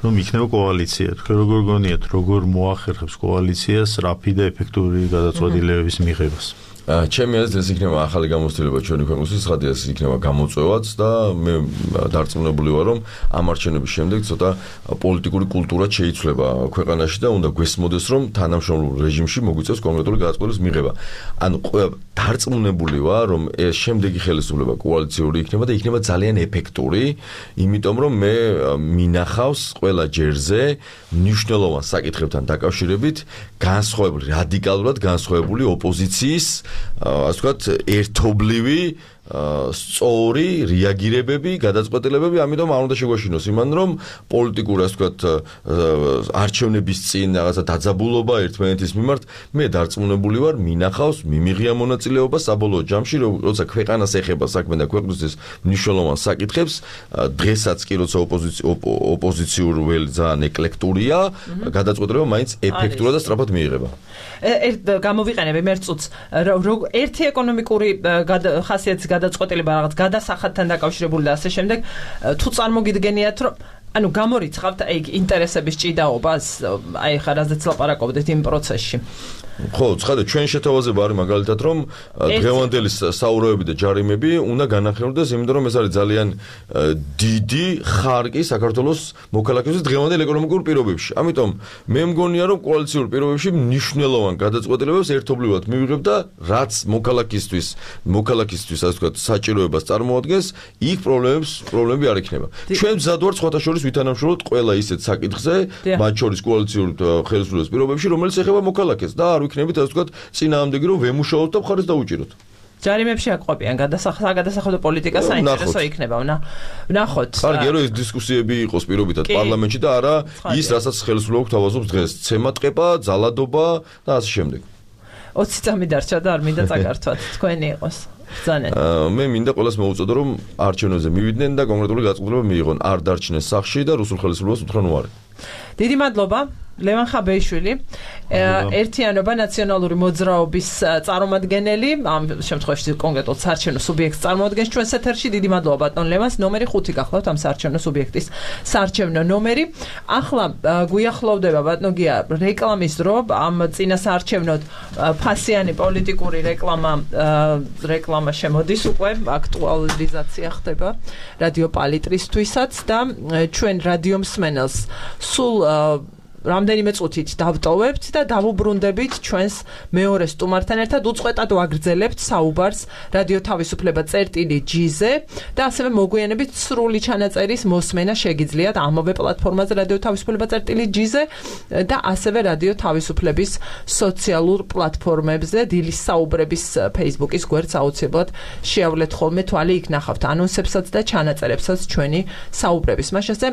რომ იქნება კოალიცია. თქვენ როგორ გონიათ, როგორ მოახერხებს კოალიციას რაფი და ეფექტური გადაწყვეტილებების მიღებას? ჩემი აზრით ეს იქნება ახალი გამოცდილება ჩვენი ქვეყნისთვის, ხადია ეს იქნება გამოწვევაც და მე დარწმუნებული ვარ, რომ ამ არჩევნების შემდეგ ცოტა პოლიტიკური კულტურა შეიცვლება ქვეყანაში და უნდა გვესმოდეს, რომ თანამშრომლურ რეჟიმში მოგვიწევს კონკრეტული გადაწყვეტილების მიღება. ანუ დარწმუნებული ვარ, რომ ეს შემდეგი ხელისუფლება კოალიციური იქნება და იქნება ძალიან ეფექტური, იმიტომ რომ მე მინახავს ყველა ჯერზე მნიშვნელოვან საკითხებთან დაკავშირებით განსხვავებული, რადიკალურად განსხვავებული ოპოზიციის ასე ვთქვათ, ერთობლივი სწორი რეაგირებები, გადაწყვეტილებები, ამიტომ არ უნდა შეგვაშინოს იმან, რომ პოლიტიკური, ასე ვთქვათ, არჩევნების წინ რაღაცა დაძაბულობა ერთმანეთის მიმართ, მე დარწმუნებული ვარ, მინახავს, მიმიღია მონაწილეობა საბოლოო ჯამში, როცა ქვეყანას ეხება საქმე და ქვეყნისთვის მნიშვნელოვან საკითხებს, დღესაც კი როცა ოპოზიციურ վել ძალიან ეკლექტურია, გადაწყვეტილება მაინც ეფექტურად და სწრაფად მიიღება. გამოვიყენებ ერთ წუთს, ერთი ეკონომიკური ხასიათის გადაწყვეტილება რაღაც გადასახადთან დაკავშირებული და ასე შემდეგ, თუ წარმოგიდგენიათ, რომ ანუ გამორიცხავთ აი ინტერესების ჭიდაობას, აი ხა რაზეც ლაპარაკობდით იმ პროცესში. ხო, ცხადია, ჩვენ შეთავაზება არის მაგალითად, რომ დღევანდელი საურეები და ჯარიმები უნდა განახილდეს, იმიტომ რომ ეს არის ძალიან დიდი ხარკი საქართველოს მოქალაქეების დღევანდელ ეკონომიკურ პირობებში. ამიტომ მე მგონია, რომ კოალიციური პირობებში მნიშვნელოვან გადაწყვეტილებებს ერთობლივად მივიღებ და რაც მოქალაქისთვის, ასე ვთქვათ, საჭიროებას წარმოადგენს, იქ პრობლემები არ იქნება. ჩვენ მზად ვართ სხვათა შორის ვითანამშრომლოთ ყველა ისეთ საკითხზე, მათ შორის კოალიციური ხელისუფლების პირობებში, რომელიც ეხება მოქალაქეს და არ ვიქნებით, ასე ვთქვათ, წინააღმდეგი რომ ვემუშაოთ და მხარეს დაუჭიროთ. ჯარიმებში აკყვებიან გადასახადო პოლიტიკა საინტერესო იქნება. ვნახოთ. კარგია, რომ ეს დისკუსიები იყოს პირობითად პარლამენტში და არა ის, რასაც ხელისუფლება გვთავაზობს დღეს, ცემატყება, ძალადობა და ასე შემდეგ. 20 წამი დარჩა და არ მინდა წაკართვათ, თქვენი იყოს. ბრძაnen. მე მინდა ყველას მოუწოდო, რომ არჩევნებზე მივიდნენ და კონკრეტული გადაწყვეტილება მიიღონ, არ დარჩნენ სახლში და რუსულ ხელისუფლებას უთხრან უარი. დიდი მადლობა. ლევან ხაბეიშვილი, ერთიანობა ნაციონალური მოძრაობის წარმომადგენელი, ამ შემთხვევაში კონკრეტულად საარჩევნო სუბიექტს წარმოადგენს ჩვენს ეთერში. დიდი მადლობა ბატონ ლევანს. ნომერი 5 გახლავთ ამ საარჩევნო სუბიექტის საარჩევნო ნომერი. ახლა გვიახლოვდება ბატონგია რეკლამის დრო, ამ წინა საარჩევნოდ ფასიანი პოლიტიკური რეკლამა შემოდის უკვე, აქტუალიზაცია ხდება რადიო პალიტრისთვისაც და ჩვენ რადიო მსმენელს სულ რამდენიმე წუთით დავტოვებთ და დავუბრუნდებით ჩვენს მეორე სტუმართან ერთად, უწყვეტად ვაგრძელებთ საუბარს რადიო თავისუფლება წერტილი.gz-ზე და ასევე მოგვიანებით სრული ჩანაწერის მოსმენა შეგიძლიათ ამავე პლატფორმაზე რადიო თავისუფლება წერტილი.gz-ზე და ასევე რადიო თავისუფლების სოციალურ პლატფორმებზე, დილის საუბრების Facebook-ის გვერდს აუცილებლად შეავლეთ ხოლმე თვალი, იქ ნახავთ ანონსებსაც და ჩანაწერებსაც ჩვენი საუბრების. მაშასე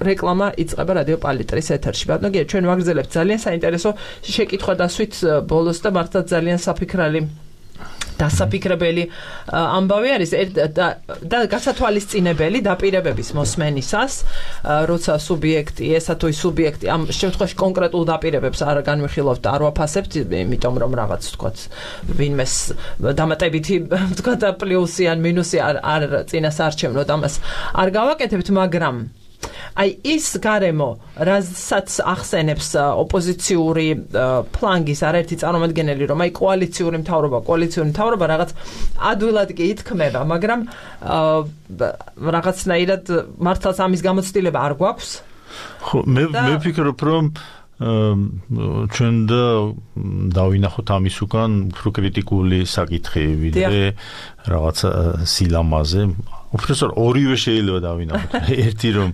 რეკლამა იწყება რადიო პალიტრის ეთერში. ბატონო, ჩვენ ვაგრძელებთ ძალიან საინტერესო შეკითხვა დასვით ბოლოს და მართლა ძალიან საფიქრალი დასაფიქრებელი ამბავი არის და გასათვალისწინებელი დაპირებების მოსმენისას, როცა სუბიექტი, ესა თუ ის სუბიექტი ამ შემთხვევაში კონკრეტულ დაპირებებს არ განვიხილავთ და არ ვაფასებთ, იმიტომ რომ რაღაც თქვათ ვინმეს დამატებითი თქვათ პლუსი ან მინუსი არ წინას არჩევნოთ, ამას არ გავაკეთებთ, მაგრამ აი ის გარემო, რასაც ახსენებს ოპოზიციური ფლანგის არაერთი წარმომადგენელი, რომ აი კოალიციური მთავრობა რაღაც ადვილად კი ითქმება, მაგრამ რაღაცნაირად მართლაც ამის გამოცდილება არ გვაქვს. ხო, მე ვფიქრობ, რომ ჩვენ დავინახოთ ამის უკან უფრო კრიტიკული საკითხი, ვიდრე რაღაც სილამაზე. უბრალოდ ორივე შეიძლება დავინახოთ. ერთი რომ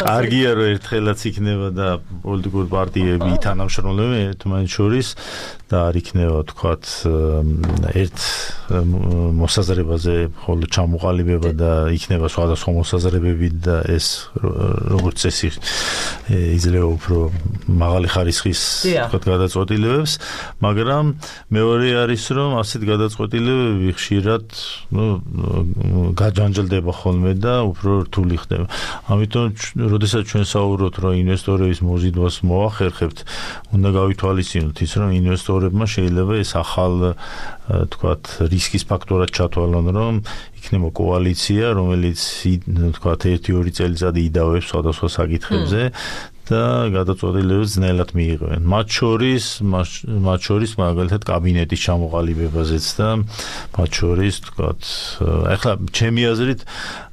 კარგია რომ ერთხელაც იქნება და პოლიტიკური პარტიები თანამშრომლობენ ერთმანეთს შორის და არ იქნება თქვათ ერთ მოსაზრებაზე ხოლმე ჩამოყალიბება და იქნება სხვადასხვა მოსაზრებები და ეს როგორც წესი იძლევა უფრო მაღალი ხარისხის თქვათ გადაწყვეტილებებს, მაგრამ მეორე არის რომ ასეთ გადაწყვეტილებები ხშირად გაჯანჯლდება ხოლმე და უფრო რთული ხდება. ამიტომ როდესაც ჩვენ საუბრობთ რომ ინვესტორების მოზიდვას მოახერხებთ, უნდა გავითვალისწინოთ ის რომ ინვესტორებმა შეიძლება ეს ახალ თქვათ რისკის ფაქტორად ჩათვალონ, რომ იქნება კოალიცია, რომელიც თქვათ 1-2 წელიწადი იდავებს სხვადასხვა საკითხებზე და გადაწყვეტილებებს ძნელად მიიღებენ. მათ შორის მაგალითად კაბინეტის ჩამოყალიბებაზეც და მათ შორის თქვათ ახლა ჩემი აზრით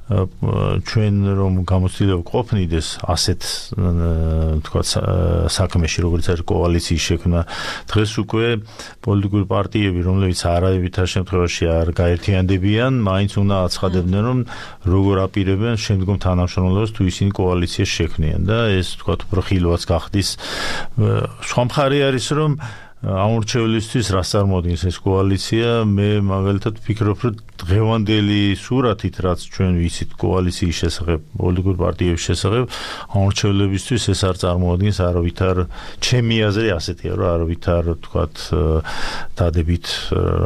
ჩვენ რომ გამოცდილება ყოფნიდეს ასეთ თქვათ საქმეში, როგორც არის კოალიციის შექმნა, დღეს უკვე პოლიტიკური პარტიები, რომლებიც არავითარ შემთხვევაში არ გაერთიანდებიან, მაინც უნდა აცხადებდნენ, რომ როგორ აპირებენ შემდგომ თანამშრომლობას თუ ისინი კოალიციას შექმნიან და ეს თქვათ უფრო ხილვაც გახდის. სხვა მხარე არის, რომ ამორჩევლისთვის რას წარმოადგენს ეს კოალიცია, მე მაგალითად ვფიქრობ, რომ დღევანდელი სურათით, რაც ჩვენ ვიცით კოალიციის შესახებ, პოლიტიკური პარტიების შესახებ, ამორჩევლებისთვის ეს არ წარმოადგენს არავითარ, ჩემი აზრი ასეთია, რომ არავითარ თქვათ დადებით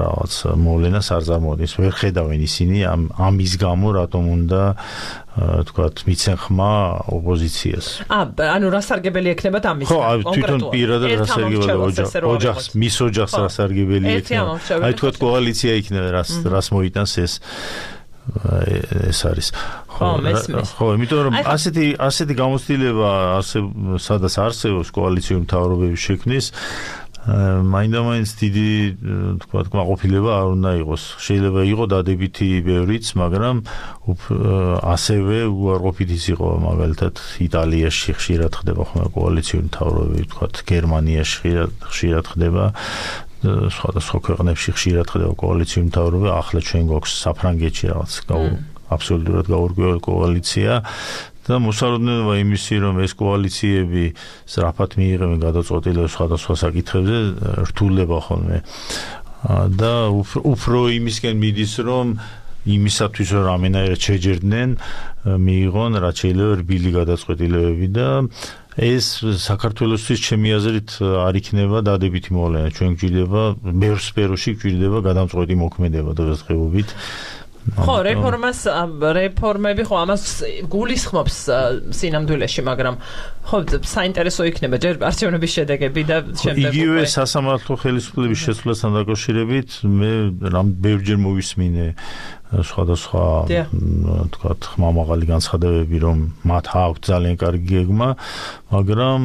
რაღაც მოვლენას არ წარმოადგენს. ვერ ხედავენ ისინი ამის გამო რატომ უნდა თქვათ მიცენ ხმა ოპოზიციას. ანუ რასარგებელი ექნებათ ამის ხო, თვითონ პირადად რასარგებელი ოჯახს, მის ოჯახს რასარგებელი ექნება. აი თქვათ კოალიცია იქნება, რას მოიტანს ეს არის. ხო, იმიტომ რომ ასეთი გამოცდილება სადაც არსებობს კოალიციური მთავრობების შექმნის, მაინდა-მაინც დიდი თქვათ კმაყოფილება არ უნდა იყოს. შეიძლება იყოს დადებითი ბევრიც, მაგრამ ასევე უარყოფითიც იყო, მაგალითად იტალიაში ხშირად ხდება ხოლმე კოალიციური მთავრობები, თქვათ გერმანიაში ხშირად ხდება, სხვადასხვა ქვეყნებში ხშირად ხდება კოალიციური მთავრობები, ახლა ჩვენ გვაქვს საფრანგეთში რაღაც აბსოლუტურად გაურკვეველი კოალიცია. და მოსალოდნელობა იმისი, რომ ეს კოალიციები სწრაფად მიიღებენ გადაწყვეტილებებს სხვადასხვა საკითხებზე, რთულდება ხოლმე. და უფრო იმისკენ მიდის, რომ იმისათვის რომ რამენაირად შეჯერდნენ, მიიღონ რაც შეიძლება რბილი გადაწყვეტილებები და ეს საქართველოსთვის ჩემი აზრით არ იქნება დადებითი მოვლენა. ჩვენ გვჭირდება ბევრ სფეროში გვჭირდება გადამწყვეტი მოქმედება დღესდღეობით. ხო, რეფორმები ხო ამას გულისხმობს სინამდვილეში, მაგრამ ხო საინტერესო იქნება ჯერ არჩევნების შედეგები და შემდეგ იგივე სასამართლო ხელისუფლების შეცვლასთან დაკავშირებით მე ბევრჯერ მოვისმინე სხვადასხვა თქვათ ხმამაღალი განცხადებები, რომ მათ აქვთ ძალიან კარგი გეგმა, მაგრამ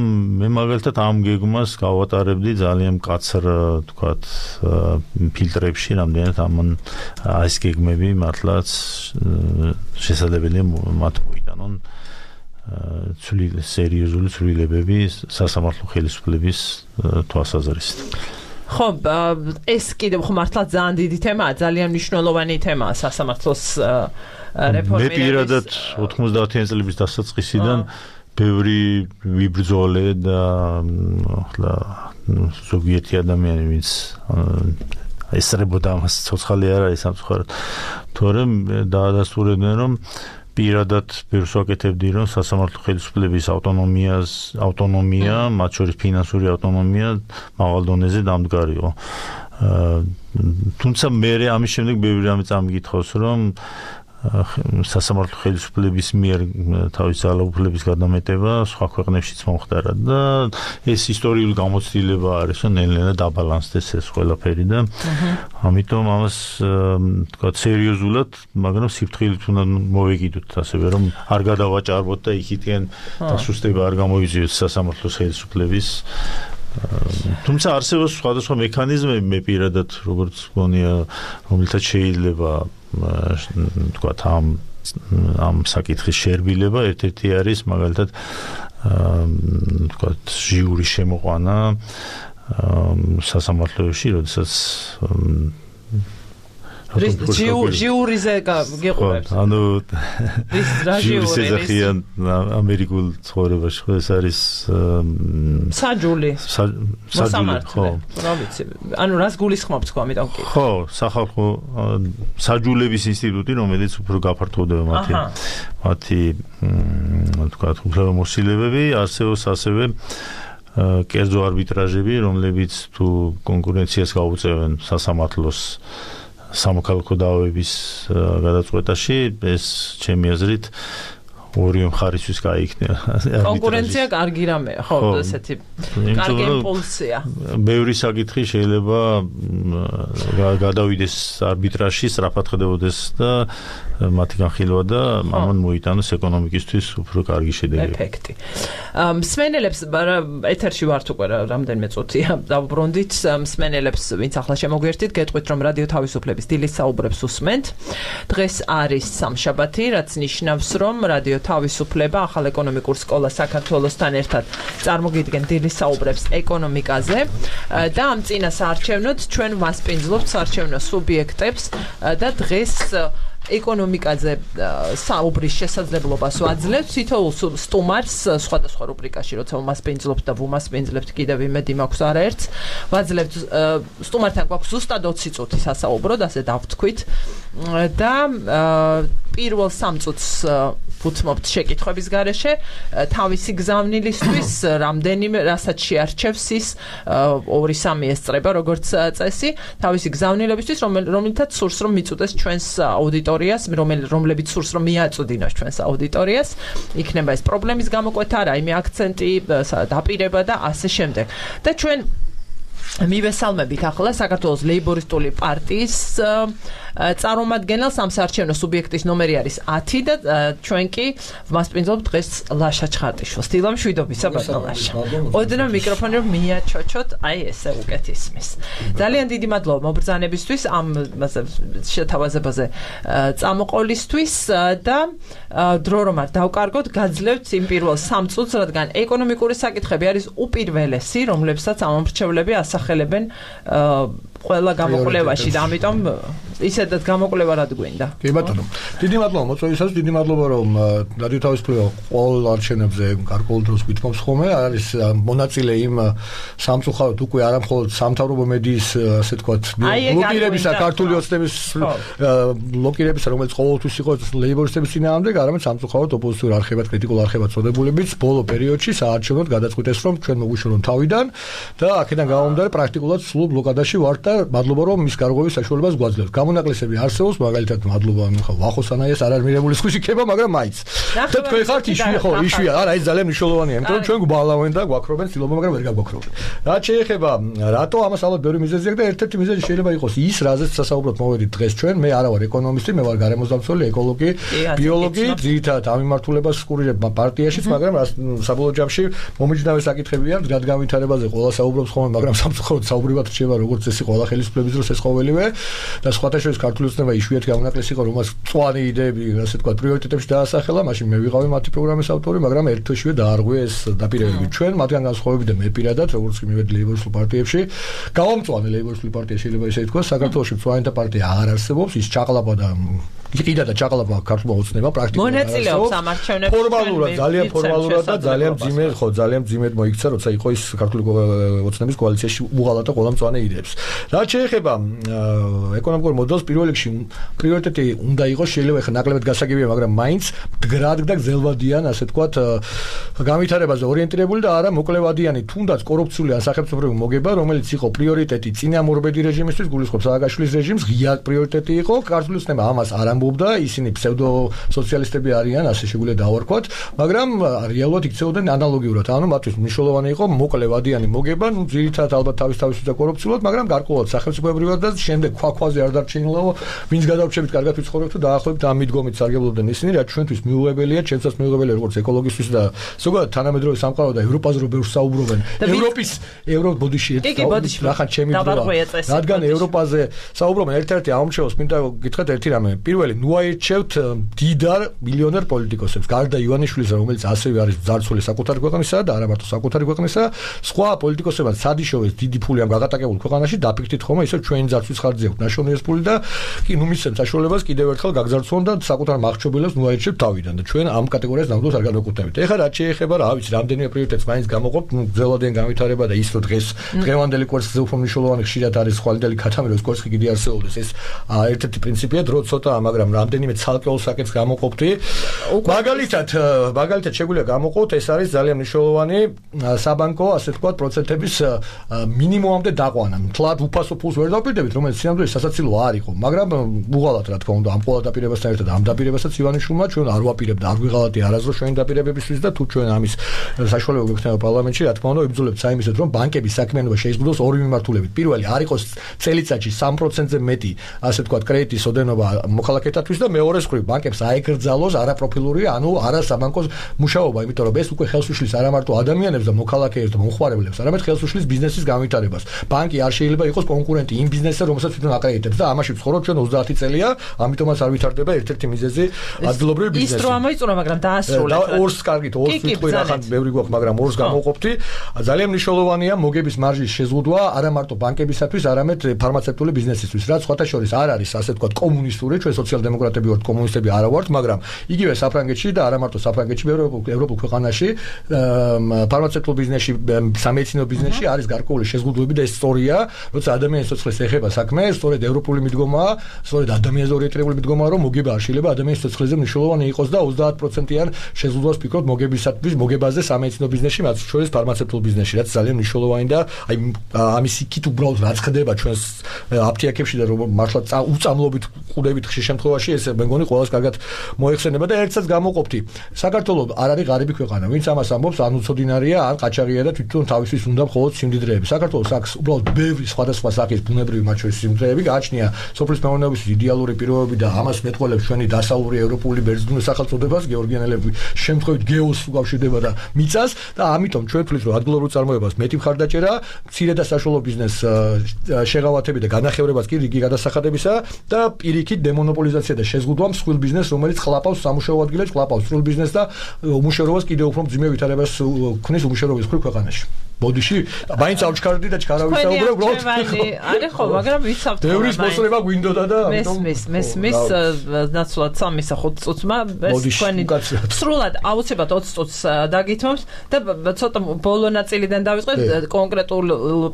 მე მაგალითად ამ გეგმას გავატარებდი ძალიან მკაცრ თქვათ ფილტრებში, რამდენად ეს გეგმები მართლაც შესაძლებელია მათ მოიტანონ სერიოზული ცვლილებები სასამართლო ხელისუფლების თვალსაზრისით. ხო, ეს კიდევ ხო მართლა ძალიან დიდი თემაა, ძალიან მნიშვნელოვანი თემაა სასამართლოს რეფორმირების. მე პირადად 90-იან წლების დასაწყისიდან ბევრი ვიბრძოლე და ახლა ზოგიერთი ადამიანი ვინც ესწრებოდა ამას ცოცხალი არ არის სამწუხაროდ, თორემ დაადასტურებდნენ, რომ პირადად ბევრს ვაკეთებდი, რომ სასამართლო ხელისუფლების ავტონომია, მათ შორის ფინანსური ავტონომია მაღალ დონეზე დამდგარიყო. თუმცა მე ამის შემდეგ ბევრი რამე წამიგითხავს, რომ სასამართლო ხელისუფლების მიერ თავის ძალაუფლების გადამეტება სხვა ქვეყნებშიც მომხდარა და ეს ისტორიული გამოცდილება არის, რომ ნელ-ნელა დაბალანსდეს ეს ყველაფერი და ამიტომ ამას თქვა სერიოზულად, მაგრამ სიფრთხილით უნდა მოვეკიდოთ ასევე, რომ არ გადავაჭარბოთ და იქიდან დასუსტება არ გამოიწვიოს სასამართლოს ხელისუფლების თუმცა არსებობს სხვადასხვა მექანიზმები მე პირადად როგორც გონია რომელთაც შეიძლება თქვა ამ საკითხის შერბილება ერთ-ერთი არის მაგალითად თქვა ჟიური შემოყვანა სასამართლოში როდესაც ჟიურიზე გეყურებთ ანუ ჟიურის ეძახიან ამერიკულ ცხოვრებაში ხო ეს არის საჯული ხო რა ვიცი ანუ რას გულისხმობთ ხო ამიტომ კი ხო სახალხო საჯულების ინსტიტუტი რომელიც უფრო გაფართოვდება მათი თქვა უფლებამოსილებები არსებობს ასევე კერძო არბიტრაჟები რომლებიც თუ კონკურენციას გაუწევენ სასამართლოს სამოქალაქო დაავების გადაწყვეტაში ეს ჩემი აზრით ორივე მხარისთვის გაიქნება. კონკურენცია კარგი რამეა, ხო, ესეთი კარგი იმპულსია. ბევრი საკითხი შეიძლება გადავიდეს არბიტრაჟში, სწრაფად ხდებოდეს და მათი განხილვა და ამან მოიტანოს ეკონომიკისთვის უფრო კარგი შედეგი. ეფექტი. მსმენელებს ეთერში ვართ უკვე რამდენიმე წუთია დავუბრუნდით მსმენელებს ვინც ახლა შემოგვერთით გეტყვით რომ რადიო თავისუფლების დილის საუბრებს უსმენთ. დღეს არის სამშაბათი, რაც ნიშნავს რომ რადიო თავისუფლება ახალ ეკონომიკურ სკოლას საქართველოსთან ერთად წარმოგიდგენ დილის საუბრებს ეკონომიკაზე და ამ წინას არჩევნოთ ჩვენ ვასპინძლობთ საარჩევნო სუბიექტებს და დღეს ეკონომიკაზე საუბრის შესაძლებლობას ვაძლევთ თითოეულ სტუმარს სხვადასხვა რუბრიკაში როცა ვმასპინძლობთ და ვუმასპინძლებთ კიდევ იმედი მაქვს არაერთს ვაძლევთ სტუმართან გვაქვს ზუსტად 20 წუთი სასაუბროდ ასე დავთქვით და პირველ 3 წუთს ვუთმობთ შეკითხვების გარეშე თავისი გზავნილისთვის რამდენიმე რასაც შეარჩევს ის 2-3 ესწრება როგორც წესი თავისი გზავნილებისთვის რომელთაც სურს რომ მიწუდეს ჩვენს აუდიტორიას რომლებიც სურს რომ მიაწვდინოს ჩვენს აუდიტორიას იქნება ეს პრობლემის გამოკვეთა რაიმე აქცენტი დაპირება და ასე შემდეგ და ჩვენ მივესალმებით ახლა საქართველოს ლეიბორისტული პარტიის წარმომადგენელს ამ საარჩევნო სუბიექტის ნომერი არის 10 და ჩვენ კი ვმასპინძლობთ დღეს ლაშა ჩხარტიშვილს. დილა მშვიდობისა ბატონო ლაშა. ოდნავ მიკროფონი რომ მიაჩოჩოთ, აი ესე უკეთ ისმის. ძალიან დიდი მადლობა მობრძანებისთვის ამ შეთავაზებაზე წამოყოლისთვის და დრო რომ არ დავკარგოთ, გაძლევთ იმ პირველ 3 წუთს, რადგან ეკონომიკური საკითხები არის უპირველესი, რომლებსაც ამომრჩევლები ასახელებენ ყველა გამოკვლევაში და ამიტომ ისედაც გამოკვლევა რად გვინდა. კი ბატონო. დიდი მადლობა მოწვევისას, დიდი მადლობა რომ რადიო თავისუფლება ყოველ არჩევნებზე გარკვეულ დროს გვითმობს ხოლმე. არის მონაწილე იმ სამწუხაროდ უკვე არა მხოლოდ სამთავრობო მედიის ასე თქვათ ბლოკირებისა, ქართული ოცნების ბლოკირებისა, რომელიც ყოველთვის იყო ლეიბორისტების წინააღმდეგ, არამედ სამწუხაროდ ოპოზიციურ არხებად, კრიტიკულ არხებად წოდებულებიც ბოლო პერიოდში საარჩევნოდ გადაწყვიტეს რომ ჩვენ მოგვიშორონ თავიდან და აქედან გამომდინარე პრაქტიკულად სულ ბლოკადაში ვართ და მადლობა რომ მის გარღვევის საშუალებას გვაძლევთ. გამონაკლისები არსებობს, მაგალითად მადლობა ვახოსანაიას არ არის მიღებული სხვისი ქება, მაგრამ მაინც. და თქვენ ხართ იშვია, არა ეს ძალიან მნიშვნელოვანია, იმიტომ რომ ჩვენ გვბალავენ და გვაქრობენ ცილობა, მაგრამ ვერ გაგვაქრობენ. რაც შეეხება რატო ამას ალბათ ბევრი მიზეზი აქვს და ერთ-ერთი მიზეზი შეიძლება იყოს ის, რაზეც სასაუბროდ მოვედით დღეს ჩვენ, მე არა ვარ ეკონომისტი, მე ვარ გარემოსდამცველი, ეკოლოგი, ბიოლოგი, ძირითადად ამ მიმართულებას ვსკურირებ პარტიაშიც, მაგრამ საბოლოო ჯამში მომიჯნავე საკითხებია, რადგან ვითარებაზე ყველა საუბრობს ხოლმე, მაგრამ სამწუხაროდ საუბრივად რჩება როგორც წესი ყველა ხელისუფლების დროს ეს ყოველივე და სხვათა შორის ქართული ოცნება იშვიათი გამონაკლისი იყო, რომელსაც მწვანე იდეები, ასე თქვა, პრიორიტეტებში დაასახელა, მაშინ მე ვიყავი მათი პროგრამის ავტორი, მაგრამ ერთ თვეშივე დაარღვია ეს დაპირებები ჩვენ, მათგან განსხვავებით და მე პირადად, როგორც კი მივედი ლეიბორისტულ პარტიებში, გავამწვანე ლეიბორისტული პარტია შეიძლება ისე ითქვას, საქართველოში მწვანეთა პარტია აღარ არსებობს, ის ჩაყლაპა და იყიდა და ჩაყალიბა ქართულმა ოცნებამ პრაქტიკულად. მონაწილეობს ამ არჩევნებში. ფორმალურად, ძალიან ფორმალურად და ძალიან მძიმედ, ძალიან მძიმედ მოიქცა, როცა იყო ის ქართული ოცნების კოალიციაში უღალატა ყველა მწვანე იდეებს. რაც შეეხება ეკონომიკურ მოდელს, პირველ რიგში პრიორიტეტი უნდა იყოს, შეიძლება ხა ნაკლებად გასაგებია, მაგრამ მაინც მდგრად და გზელვადიან, ასე ვთქვათ, განვითარებაზე ორიენტირებული და არა მოკლევადიანი, თუნდაც კორუფციული ან სახელმწიფოებრივი მოგება, რომელიც იყო პრიორიტეტი წინამორბედი რეჟიმისთვის, გულისხმობს სააკაშვილის რეჟიმს, ღია პრიორიტეტი იყო, ქართული ოცნება ამას არ ამბობდა, ისინი ფსევდო სოციალისტები არიან, ასე შეგვიძლია დავარქვათ, მაგრამ რეალურად იქცეოდნენ ანალოგიურად, ანუ მათთვის მნიშვნელოვანი იყო მოკლევადიანი მოგება, ну ძირითადად ალბათ თავის და კორუფციულად, მაგრამ გარკვეულად სახელმწიფოებრივად და შემდეგ ქვაქვაზე არ დარჩენილა, ვინც გადავრჩებით კარგად ვიცხოვრებთ თუ დაახლოებით ამ მიდგომით სარგებლობდნენ ისინი, რაც ჩვენთვის მიუღებელია, ჩემსაც მიუღებელია როგორც ეკოლოგისტვის და ზოგადად თანამედროვე სამყარო და ევროპაზე რო ბევრს საუბრობენ. ევროპოდიში რახან ჩემი რადგან ევროპაზე საუბრობენ ერთ-ერთი ამომრჩევს მინდა გითხრათ ერთი რამე. პირველი, ნუ აირჩევთ დიდარ მილიონერ პოლიტიკოსებს, გარდა ივანიშვილისა, რომელიც ასევე არის ძარცველი საკუთარი ქვეყნისა და არა მარტო საკუთარი ქვეყნისა, სხვა პოლიტიკოსებად სადიშოვეს დიდი ფული ამ გაღატაკებულ ქვეყანაში დაფიქრდით ხოლმე ისე ჩვენი ძარცვის ხარჯზე აქვს ნაშოვნი ეს ფული და კი ნუ მისცემთ საშუალებას კიდევ ერთხელ გაგზარცვონ და საკუთარ მახრჩობელებს ნუ აირჩევთ თავიდან და ჩვენ ამ კატეგორიას ნამდვილად არ განვეკუთვნებით. ეხლა რაც შეეხება რა ვიცი, რამდენიმე პრიორიტეტს მაინც გამოყოფთ, ნუ გზელვადიან განვითარება და ის რომ დღევანდელი კვერცხზე უფრო მნიშვნელოვანი ხშირად არის ხვალინდელი ქათამიროს კვერცხი კიდე არსებობს ეს ერთ-ერთი პრინციპია დრო ცოტა, მაგრამ რამდენიმე ცალკეულ საკითხს გამოყოფთი. მაგალითად შეგვიძლია გამოყოთ, ეს არის ძალიან მნიშვნელოვანი საბანკო, ასე ვთქვათ, პროცენტების მინიმუმამდე დაყვანა. თლად უფასო ფულს ვერ დავპირდებით, რომელიც სინამდვილეში სასაცილო არ იყო, მაგრამ უღალატ რა თქმა უნდა, ამ ყველა დაპირებასთან ერთად ამ დაპირებასაც ივანიშვილმა ჩვენ არ ვაპირებთ, არ ვიღალატი არასდროს ჩვენი დაპირებებისთვის და თუ ჩვენ ამის საშუალება გვექნება პარლამენტში, რა თქმა უნდა, ვიბრძოლებთ საიმედოდ, რომ ბანკების საქმიანობა შეიზღუდოს ორი მიმართულებით. პირველი, არ იყოს წელიწადში 3%-ზე მეტი, ასე ვთქვათ, კრედიტის ოდენობა მოქალაქეთათვის და მეორე მხრივ ბანკებს აეკრძალოს არაპროფილური, ანუ არასაბანკო მუშაობა, იმიტომ რომ ეს უკვე ხელს უშლის არა მარტო ადამიანებს და მოქალაქეებს და მომხმარებლებს, არამედ ხელს უშლის ბიზნესის განვითარებას. ბანკი არ შეიძლება იყოს კონკურენტი იმ ბიზნესზე, რომელსაც თვითონ აკრედიტებს და ამაში ვცხოვრობ ჩვენ 30 წელია, ამიტომაც არ ვითარდება ერთ-ერთი მიზეზი ადგილობრივი ბიზნესი. ის რო ამოიწურა, მაგრამ დაასრულეთ. ორს კარგით, ორს ვიტყვი რახან ბევრი გვაქვს, მაგრამ ორს გამოვყოფთი. ძალიან მნიშვნელოვანია მოგების მარჟის შეზღუდვა არა მარტო ბანკებისათვის, არამედ ფარმაცევტული ბიზნესისთვის, რაც სხვათა შორის არ არის, ასე ვთქვათ, კომუნისტური, ჩვენ სოციალ-დემოკრატები ვართ, კომუნისტები არა ვართ, მაგრამ იგივე საფრანგეთში და არა მარტო საფრანგეთში, ევროპულ ქვეყანაში ფარმაცევტულ ბიზნესში, სამედიცინო ბიზნესში არის გარკვეული შეზღუდვები და ეს სწორია, როცა ადამიანის სიცოცხლეს ეხება საქმე, სწორედ ევროპული მიდგომაა, სწორედ ადამიანზე ორიენტირებული მიდგომაა, რომ მოგება არ შეიძლება ადამიანის სიცოცხლეზე მნიშვნელოვანი იყოს და 30%-იან შეზღუდვას ფიქრობთ მოგებაზე სამედიცინო ბიზნესში, მათ შორის ფარმაცევტულ ბიზნესში, რაც ძალიან მნიშვნელოვანი და აი ამის იქით უბრალოდ რაც ხდება ჩვენს აფთიაქებში და რომ მართლა უწამლობით ყუდებით ხშირ შემთხვევაში ეს მე მგონი ყველას კარგად მოეხსენება და ერთსაც გამოყოფთი. საქართველოს არ არის ღარიბი ქვეყანა, ვინც ამას ამბობს, ან უცოდინარია, ან ყაჩაღია და თვითონ თავისთვის უნდა მხოლოდ სიმდიდრეები. საქართველოს აქვს უბრალოდ ბევრი სხვადასხვა სახის ბუნებრივი მათ შორის სიმდიდრეები, გააჩნია სოფლის მეურნეობის იდეალური პირობები და ამას მეტყველებს ჩვენი დასავლური ევროპული ბერძნული სახელწოდებას, გეორგიანელები შემთხვევით გეოს უკავშირდება და მიწას და ამიტომ ჩვენ ვთვლით, რომ ადგილობრივ წარმოებას მეტი მხარდაჭერა, მცირე და საშუალო ბიზნეს შეღავათები და განახევრებას კი რიგი გადასახადებისა და პირიქით დემონოპოლიზაცია და შეზღუდვა მსხვილ ბიზნესს, რომელიც ხლაპავს სამუშაო ადგილებს, ხლაპავს სრულ ბიზნესს და უმუშევრობას კიდევ უფრო მძიმე ვითარებას ქმნის უმუშევრობის მხრივ ქვეყანაში. ბოდიში, მაინც ავჩქარდი და ჩქარავი საუბრობ, უბრალოდ არის ხო, მაგრამ ვიცავთ რა. ბევრის მოსწრება გვინდოდა და მესმის ნაცვლად 3-5 წუთმა თქვენი სრულად აუცილებლად 20 წუთს დაგითმობს და ცოტა ბოლო ნაწილიდან დავიწყეთ კონკრეტულ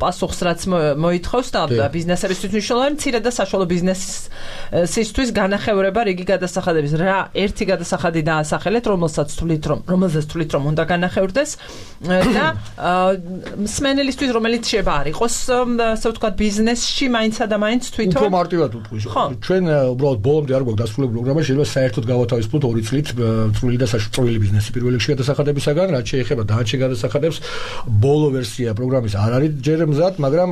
პასუხს რაც მოითხოვს და ბიზნესებისთვის მნიშვნელოვანი მცირე და საშუალო ბიზნესისთვის განახევრება რიგი გადასახადების. რა ერთი გადასახადი დაასახელეთ, რომელზეც თვლით რომ უნდა განახევრდეს და მსმენელისთვის რომელიც შეიძლება არ იყოს, ასე ვთქვათ, ბიზნესში მაინცა და მაინც თვითონ უფრო მარტივად ვთქვი. ჩვენ უბრალოდ ბოლომდე არ გვაქვს დასრულებული პროგრამა, შეიძლება საერთოდ გავათავისუფლოთ 2 წლით წვრილი და საშუალო ბიზნესი პირველ რიგში გადასახადებისაგან, რაც შეეხება დანარჩენ გადასახადებს. ბოლო ვერსია პროგრამის არ არის ჯერ მზად, მაგრამ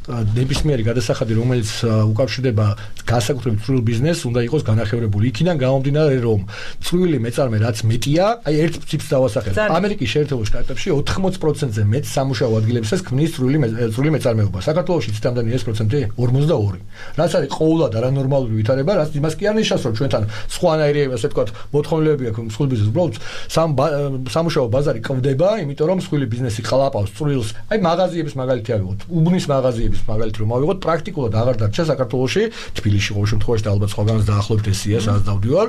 ნებისმიერი გადასახადი, რომელიც უკავშირდება განსაკუთრებით წვრილ ბიზნესს, უნდა იყოს განახევრებული. იქიდან გამომდინარე, რომ წვრილი მეწარმე რაც მეტია, აი ერთ ციფრს დავასახელებ. ამერიკის შეერთებულ შტატებში 80%-ზე მეტ სამუშაო ადგილებსაც ქმნის წვრილი მეწარმეობა. საქართველოში ციტამდენი ეს პროცენტი 42. რაც არის ყოველად არანორმალური ვითარება, რაც იმას კი არ ნიშნავს, რომ ჩვენთან სხვანაირი, ასე ვთქვათ, მოთხოვნილები აქვს მსხვილ ბიზნესს. უბრალოდ სამუშაო ბაზარი ყვდება, იმიტომ რომ მსხვილი ბიზნესი ხლაპავს წვრილს. აი მაღაზიების მაგალითი ავიღოთ. უბნის მაღაზიების მოგების მაგალითი რომ ავიღოთ, პრაქტიკულად აღარ დარჩა საქართველოში, თბილისში ყოველ შემთხვევაში და ალბათ სხვაგანაც დაახლოებით ესია, სადაც დავდივარ.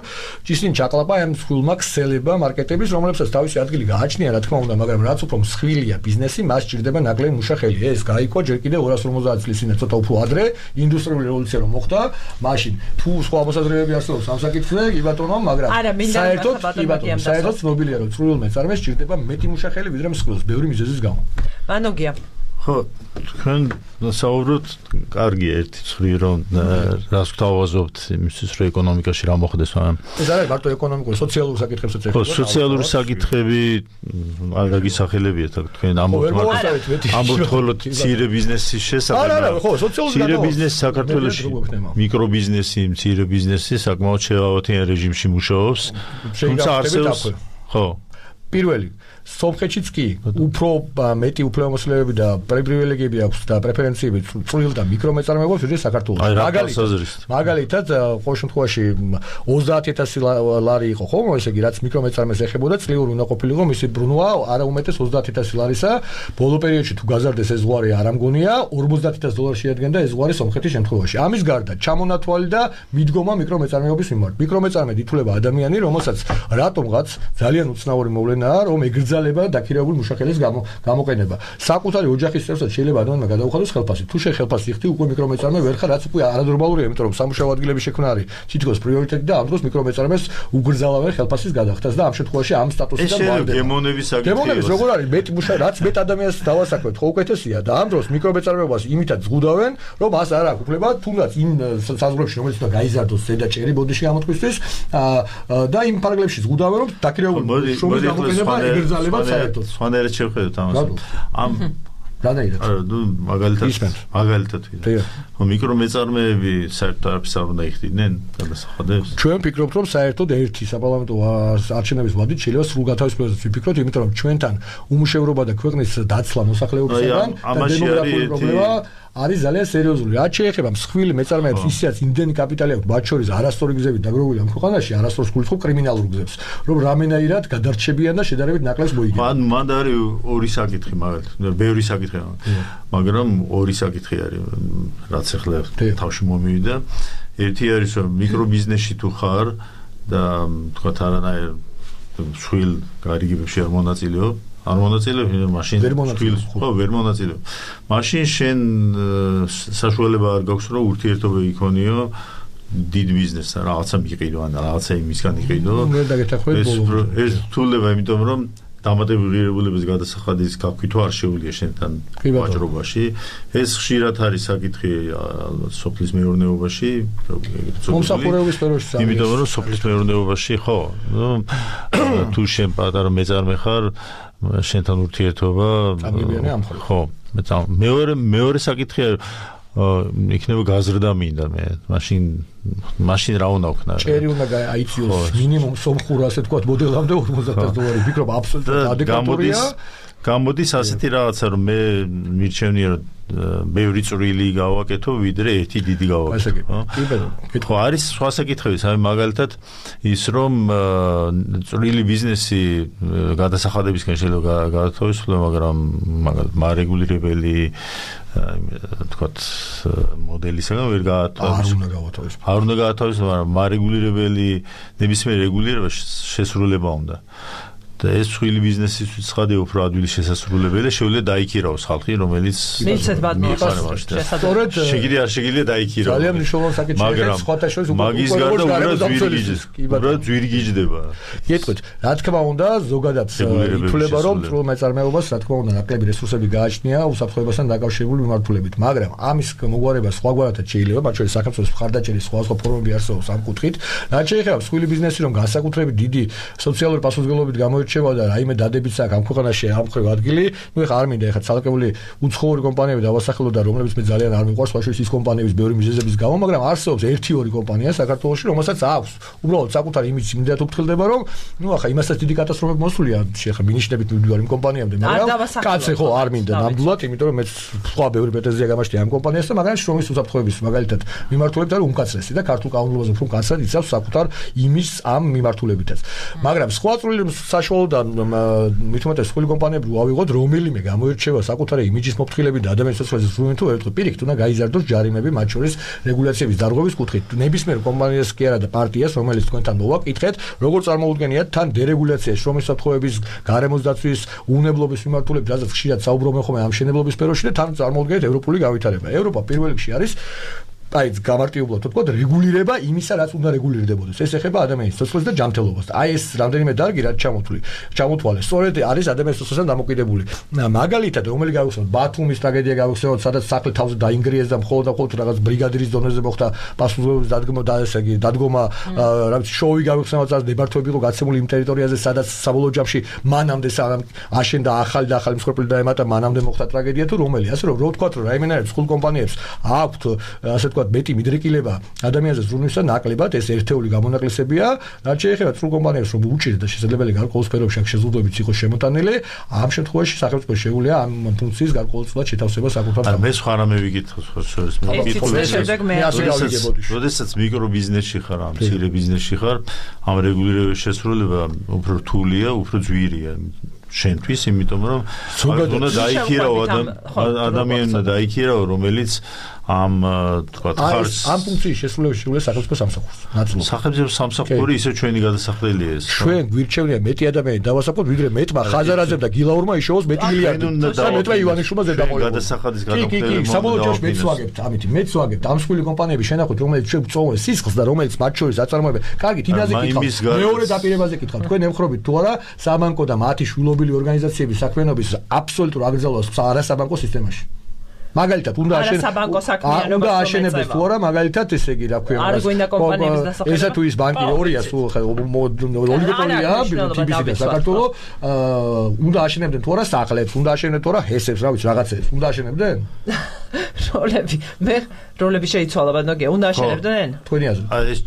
ისინი ჩაყლაპა ამ მსხვილმა ქსელება მარკეტების, რომლებსაც თავისი ადგილი გააჩნია, რა თქმა უნდა, მაგრამ რაც უფრო მსხვილია ბიზნესი, მას სჭირდება ნაკლები მუშახელი. ეს გაიქვა ჯერ კიდევ 250 წლის წინ, ცოტა უფრო ადრე, ინდუსტრიული რევოლუცია რომ მოხდა, მაშინ თუ სხვა მოსაზრებები არსებობს ამ საკითხზე, კი ბატონო, მაგრამ საერთოდ ცნობილია რომ წვრილ მეწარმეს სჭირდება მეტი მუშახელი ვიდრე მსხვილს, ბევრი მიზეზის გამო. მანოგია ხო, თქვენ საუბრობთ, კარგია ერთი ცხვრი, რომ რას გვთავაზობთ იმისთვის, რომ ეკონომიკაში რა მოხდეს, მაგრამ ეს არის მარტო ეკონომიკური, სოციალური საკითხებსაც ეხება. ხო, სოციალური საკითხები არ გაგისახელებიათ, თქვენ ამბობთ ხოლმე მცირე ბიზნესის შესახებ. არა, ხო, სოციალური მცირე ბიზნესი საქართველოში, მიკრობიზნესი, მცირე ბიზნესი საკმაოდ შეავადიან რეჟიმში მუშაობს. თუმცა არსებობს, ხო. პირველი სომხეთშიც კი უფრო მეტი უფლებამოსილებები და პრივილეგიები აქვს და პრეფერენციები წვრილ და მიკრომეწარმეობებს ვიდრე საქართველოში. მაგალითად, ყოველ შემთხვევაში 30000 ლარი იყო ხოლმე, ესე იგი, რაც მიკრომეწარმეს ეხებოდა, წლიური უნდა ყოფილიყო მისი ბრუნვა არა უმეტეს 30000 ლარისა. ბოლო პერიოდში თუ გაზარდეს ეს ზღვარი არ ამგონია, $40000 შეადგენდა ეს ზღვარი სომხეთის შემთხვევაში. ამის გარდა ჩამონათვალი და მიდგომა მიკრომეწარმეობის მიმართ. მიკრომეწარმედ ითვლება ადამიანი, რომელსაც რატომღაც ძალიან უცნაური მოვლენაა, რომ ეგრძალება დაქირავებული მუშახელის გამოყენება. საკუთარი ოჯახის წევრსაც შეიძლება ადამიანმა გადაუხადოს ხელფასი. თუ ხელფასი იხდი, უკვე მიკრომეწარმე ვერ ხარ, რაც უკვე არანორმალურია, იმიტომ რომ სამუშაო ადგილების შექმნა არის თითქოს პრიორიტეტი და ამ დროს მიკრომეწარმეს უგრძალავენ ხელფასის გადახდას და ამ შემთხვევაში ამ სტატუსიდან ვარდება. გემონების როგორ არის მეტი მუშა, რაც მეტ ადამიანს დავასაქმეთ, ხო უკეთესია და ამ დროს მიკრომეწარმეობას იმითაც ზღუდავენ, რომ მას არ აქვს უფლება თუნდაც იმ საზღვრებში, რომელიც უნდა გაიზარდოს ზედა ჭერი ბოდიში გამოთქვისთვის და იმ პარაგლებში ზღუდავენ, რომ დაქირავებული შრომის გამოყენება ეგრძალება სხვანაირად შევხედოთ ამას. ამ რანაირად? ნუ მაგალითად მიკრომეწარმეები საერთოდ არაფერს არ უნდა იხდიდნენ გადასახადებს. ჩვენ ვფიქრობთ, რომ საერთოდ ერთი საპარლამენტო არჩევნების ვადით შეიძლება სრულ გათავისუფლებასაც ვიფიქროთ, იმიტომ რომ ჩვენთან უმუშევრობა და ქვეყნის დაცლა მოსახლეობისგან და დემოგრაფიული პრობლემა არის ძალიან სერიოზული. რაც შეეხება მსხვილი მეწარმეებს, ისედაც იმდენი კაპიტალი აქვს, მათ შორის არასწორი გზებით დაგროვილი ამ ქვეყანაში, არასდროს გულისხმობ კრიმინალურ გზებს, რომ რამენაირად გადარჩებიან და შედარებით ნაკლებს მოიგებენ. მან არის ორი საკითხი, მაგალითად, ბევრი საკითხი, მაგრამ ორი საკითხი არის, რაც ახლა თავში მომივიდა. ერთი არის, რომ მიკრობიზნესში თუ ხარ და თქვა არანაირ მსხვილ გარიგებებში არ მონაწილეობ, არ მონაწილეობ, მაშინ ვერ მონაწილეობ. მაშინ შენ საშუალება არ გაქვს, რომ ურთიერთობა იქონიო დიდ ბიზნესთან, რაღაცა მიყიდო ან რაღაცა იმისგან იყიდო. ეს რთულება, იმიტომ რომ დამატებული ღირებულების გადასახადის გაქვითვა არ შეუძლია შენთან ვაჭრობაში. ეს ხშირად არის საკითხი სოფლის მეურნეობაში, მომსახურების სფეროში. იმიტომ რომ სოფლის მეურნეობაში ხო, თუ შენ პატარა მეწარმე ხარ, შენთან ურთიერთობა ხო, მეორე საკითხი იქნება გაზრდა მინდა მე. მაშინ რა უნდა ვქნა? ჭერი უნდა აიწიოს მინიმუმ სომხურ ასე თქვა მოდელამდე $40000. ვფიქრობ აბსოლუტურად ადეკვატურია. გამოდის ასეთი რაღაცა, რომ მე მირჩევნია რომ ბევრი წვრილი გავაკეთო, ვიდრე ერთი დიდი გავაკეთო. ხო, არის სხვა საკითხები, მაგალითად ის რომ წვრილი ბიზნესი გადასახადებისგან შეიძლება გათავისუფლება, მაგრამ მაგალითად მარეგულირებელი თქვათ მოდელისგან ვერ გათავისუფლება. არ უნდა გათავისუფლება, მაგრამ მარეგულირებელი ნებისმიერ რეგულირება შესრულება უნდა. და ეს მსხვილი ბიზნესისთვის ცხადია უფრო ადვილი შესასრულებელი და შეუძლია დაიქირავოს ხალხი, რომელიც მიცეთ ბატონო სწორედ შეგიძლია არ შეგიძლია დაიქირავოს. ძალიან მნიშვნელოვანი საკითხია, სხვათა შორის მაგის გარდა უბრალოდ ძვირგიჯდება. გეტყვით, რა თქმა უნდა, ზოგადად ითვლება, რომ წვრილ მეწარმეობას, რა თქმა უნდა, ნაკლები რესურსები გააჩნია უსაფრთხოებასთან დაკავშირებული მიმართულებით, მაგრამ ამის მოგვარება სხვაგვარადაც შეიძლება, მათ შორის საქართველოს მხარდაჭერის სხვა ფორმები არსებობს ამ კუთხით. რაც შეეხება მსხვილი ბიზნესი, რომ განსაკუთრებით დიდი სოციალური პასუხისმგებლობით გამოირჩევა და რაიმე დადებიც აქვს ამ ქვეყანაში ამ ხრივ ადგილი, ნუ ეხა არ მინდა ეხა ცალკეული უცხოური კომპანიები დავასახელო და რომლებიც მე ძალიან არ მიყვარს, სხვა შორის ის კომპანიების ბევრი მიზეზების გამო, მაგრამ არსებობს 1-2 კომპანია საქართველოში, რომელსაც აქვს უბრალოდ საკუთარი იმიჯი იმდენად უფრთხილდება, რომ ნუ ახლა იმასაც დიდი კატასტროფები მოსულია, შეხა მინიშნებით მივდივარ იმ კომპანიამდე, მაგრამ კაცე ხო არ მინდა ნამდვილად, იმიტომ რომ მე სხვა ბევრი პრეტენზია გამაშთია ამ კომპანიასთან, მაგრამ შრომის უსაფრთხოების მაგალითად მიმართულებით არის უმკაცრესი და ქართულ კანონმდებლობაზე უფრო მკაცრად იცავს საკუთარ იმიჯს ამ მიმართულებითაც. მაგრამ სხვა წვრილი საშუალო მხოლოდ მithumetes სხვილი კომპანიები ავიღოთ რომელიმე გამოირჩევა საკუთარი იმიჯის მოფრთხილებით და ადამიანის სიცოცხლეზე ზრუნვენ თუ ერთხელ პირიქით უნდა გაიზარდოს ჯარიმები მათ შორის რეგულაციების დარღვევის კუთხით ნებისმიერ კომპანიას კი არა და პარტიას რომელიც თქვენთან მოვაკითხეთ როგორ წარმოუდგენიათ თან დერეგულაციაში შრომის საფრთხეების გარემოს დაცვის უნებლობის მიმართულებით რაზეც ხშირად საუბრობენ ხოლმე ამ შენებლობის სფეროში და თან წარმოუდგენიათ ევროპული გავითარება ევროპა პირველ რიგში არის აი გამარტივებლად თქვა რეგულირება იმისა რაც უნდა რეგულირდებოდეს ეს ეხება ადამიანის სიცოცხლეს და ჯანმრთელობას აი ეს რამდენიმე დარგი რაც ჩამოთვალეს სწორედ არის ადამიანის სიცოცხლესთან დამოკიდებული მაგალითად რომელი გავიხსენოთ ბათუმის ტრაგედია გავიხსენოთ სადაც სახლი თავზე დაინგრიეს და მხოლოდ რაღაც ბრიგადირის დონეზე მოხდა პასუხისმგებლობის დადგომა რაღაც შოუი გავიხსენოთ სადაც ნებართვები იყო გაცემული იმ ტერიტორიაზე სადაც საბოლოო ჯამში მანამდე აშენდა ახალი მსხვერპლი დაემატა მანამდე მოხდა ტრაგედია თუ რომელი ასე რომ ვთქვათ რომ რაიმენერებს ხულ კომპანიებს აქვთ ასე მეტი მიდრეკილება ადამიანზე ზრუნვისა ნაკლებად ეს ერთეული გამონაკლისებია რაც შეეხება სრულ კომპანიებს რომ უჭირდა და შესაძლებელი გარკვეულ სფეროებში შეზღუდვებიც იყოს შემოტანილი ამ შემთხვევაში სახელმწიფო შეუძლია ამ ფუნქციის გარკვეულწილად შეთავსება საკუთარ არა მე სხვა რამე ვიკითხო შორის მე ვიკითხო როდესაც მიკრობიზნესში ხარ ამ მცირე ბიზნესში ხარ ამ რეგულირების შესრულება უფრო რთულია უფრო ძვირია შენთვის იმიტომ რომ უნდა დაიქირავ ადამიანმა დაიქირავ რომელიც ამ თქვა ხარს ამ ფუნქციის შესრულების შეუძლია სახელმწიფო სამსახურს ნაცვლად სახელმწიფო სამსახური ისე ჩვენი გადასახდელია ეს ჩვენ გვირჩევნია მეტი ადამიანი დავასაკოთ ვიდრე მეტმა ხაზარაძემ და გილაურმა იშოვოს მეტი მილიარდი და მეტმა ივანიშვილმა ზედამოიღო გადასახადის გადამხდელება საბოლოო ჯამში მეც ვაგებთ ამით მეც ვაგებთ ამ სხვილი კომპანიები შენახოთ რომელიც ჩვენ წოვენ სისხლს და რომელიც მათ შორის აწარმოებენ კარგი თინაზე კითხავთ მეორე დაპირებაზე კითხავთ თქვენ ემხრობით თუ არა საბანკო და მათი შვილობილი ორგანიზაციების საქმიანობის აბსოლუტურ აგრძელებას არასაბანკო სისტემაში მაგალითად უნდა აშენებდეს თუ არა მაგალითად ესე იგი რა ქვია ესა თუ ის ბანკი ორია სულ ოლიგოპოლია TBC და საქართველო უნდა აშენებდნენ თუ არა სახლებს უნდა აშენებდნენ თუ არა ჰესებს რა ვიცი რაღაცებს უნდა აშენებდნენ როლები შეიცვალა ბანკი უნდა აშენებდნენ თქვენი აზრით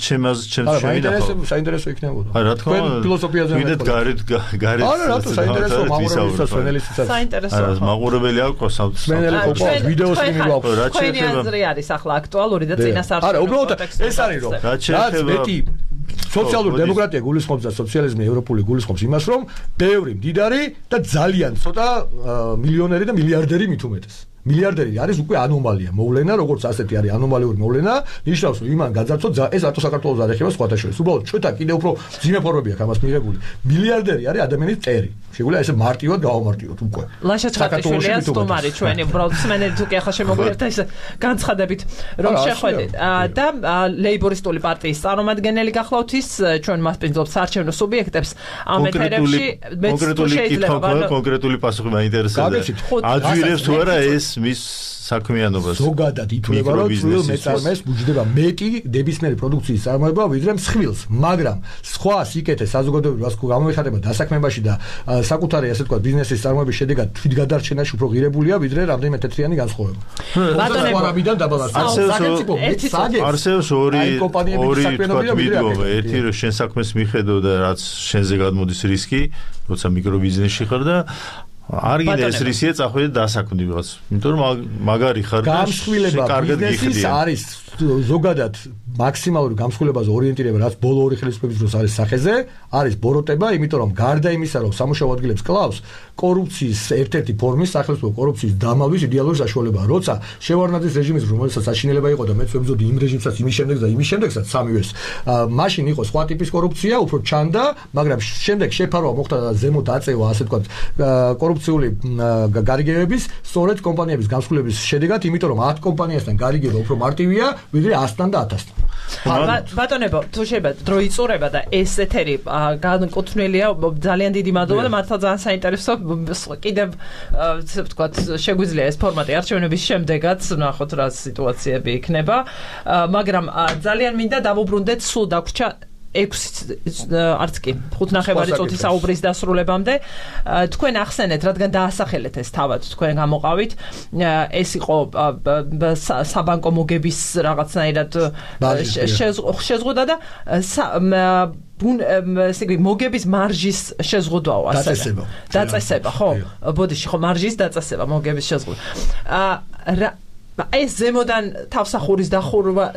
ჩემს საინტერესო იქნებოდა აი რა თქმა უნდა ფილოსოფიაზე ვიდეთ გარეთ არა რატო საინტერესო მაყურებელსაც სვენელისთვისაც საინტერესო მაყურებელი აქვს სვენელი ყოფა ვიდეოს იმი გვაქვს თქვენი აზრი არის ახლა აქტუალური და წინასწარ არა უბრალოდ ეს არის რომ რაც მეტი სოციალური დემოკრატია გულისხმობს და სოციალიზმი ევროპული გულისხმობს იმას რომ ბევრი მდიდარი და ძალიან ცოტა მილიონერი და მილიარდერი მით უმეტეს მილიარდერი არის უკვე ანომალია მოვლენა როგორც ასეთი არის ანომალიური მოვლენა ნიშნავს რომ იმან გაძარცვა ეს რატო საქართველოს არ ეხება სხვათა შორის უბრალოდ ჩვენთან კიდევ უფრო ძიმე ფორმები აქვს ამას მიღებული მილიარდერი არის ადამიანის წერი შეგვიძლია ესე მარტივად გავამარტივოთ უკვე ლაშა ჩხატიშვილია სტუმარი ჩვენი უბრალოდ სმენელი თუ კი ახლა შემოგვიერთდა ეს განცხადებით რომ შეხვედით და ლეიბორისტული პარტიის წარმომადგენელი გახლავთ ის ჩვენ მასპინძლობს საარჩევნო სუბიექტებს ამ ეთერებში კონკრეტული პასუხი მაინტერესებს აძვირებს თუ არა ეს მის საქმიანობას ზოგადად ითვლება რომ წვრილ მეწარმეს მუჯდება მეტი ნებისმიერი პროდუქციის წარმოება ვიდრე მსხვილს მაგრამ სხვა სიკეთე საზოგადოებრივ ასკუ გამოიხატება დასაქმებაში და საკუთარი ასე თქვა ბიზნესის წარმოების შედეგად თვითგადარჩენაში უფრო ღირებულია ვიდრე რამდენიმე თეთრიანი განსხვავება ბატონებიდან დაბალანსება არსებობს ორი ვიდეო ერთი რომ შენ საქმეს მიხედო და რაც შენზე გადმოდის რისკი როცა მიკრობიზნესში ხარ და არ გინდა ეს რისკია წახვიდე დასაქმდი ვიღაც იმიტომ რომ მაგარი ხარ და კარგად გიხდია არის ზოგადად მაქსიმალური გამსხვილებაზე ორიენტირება რაც ბოლო ორი ხელისუფლების დროს არის სახეზე არის ბოროტება იმიტომ რომ გარდა იმისა რომ სამუშაო ადგილებს კლავს კორუფციის ერთ-ერთი ფორმის სახელმწიფო კორუფციის დამალვის იდეალური საშუალებაა როცა შევარდნაძის რეჟიმის რომელსაც საშინელება იყო და მეც ვებზოდი იმ რეჟიმსაც იმის შემდეგ და იმის შემდეგსაც სამივეს მაშინ იყო სხვა ტიპის კორუფცია უფრო ჩანდა მაგრამ შემდეგ შეფარვა მოხდა და ზემოთ აწევა ასე თქვა კორუფციული გარიგებების სწორედ კომპანიების გამსხვილების შედეგად იმიტომ რომ 10 კომპანიასთან გარიგება უფრო მარტივია ვიდრე 100-თან და 1000-თან ბატონებო თუ შეიძლება დრო იწურება და ეს ეთერი განკუთვნილია ძალიან დიდი მადლობა და მართლა ძალიან საინტერესო კიდევ ვთქვათ შეგვიძლია ეს ფორმატი არჩევნების შემდეგაც ნახოთ რა სიტუაციები იქნება მაგრამ ძალიან მინდა დავუბრუნდეთ სულ დაგვრჩა 6 არც კი 5.5 წუთის საუბრის დასრულებამდე თქვენ ახსენეთ რადგან დაასახელეთ ეს თავად თქვენ გამოყავით ეს იყო საბანკო მოგების რაღაცნაირად შეზღუდვა და მოგების მარჟის შეზღუდვაო დაწესება ხო ბოდიში ხო მარჟის დაწესება მოგების შეზღუდვა ეს ზემოდან თავსახურის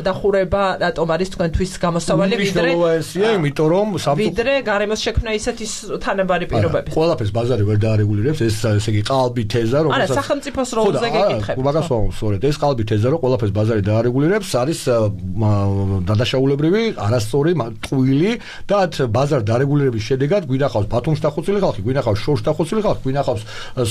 დახურება რატომ არის თქვენთვის გამოსავალი იმიტომ რომ ვიდრე გარემოს შექმნა ისეთი თანაბარი პირობები. ყველაფერს ბაზარი ვერ დაარეგულირებს, ესე იგი ყალბი თეზა, რომელსაც არა, სახელმწიფოს როლზე გეკითხებით. მაგას ვამბობ, ეს ყალბი თეზა, რომ ყველაფერს ბაზარი დაარეგულირებს, არის დადაშაულებრივი, არასწორი, ტყუილი და ბაზარ დარეგულირების შედეგად გვინახავს ბათუმში დახოცილი ხალხი, გვინახავს შორში დახოცილი ხალხი, გვინახავს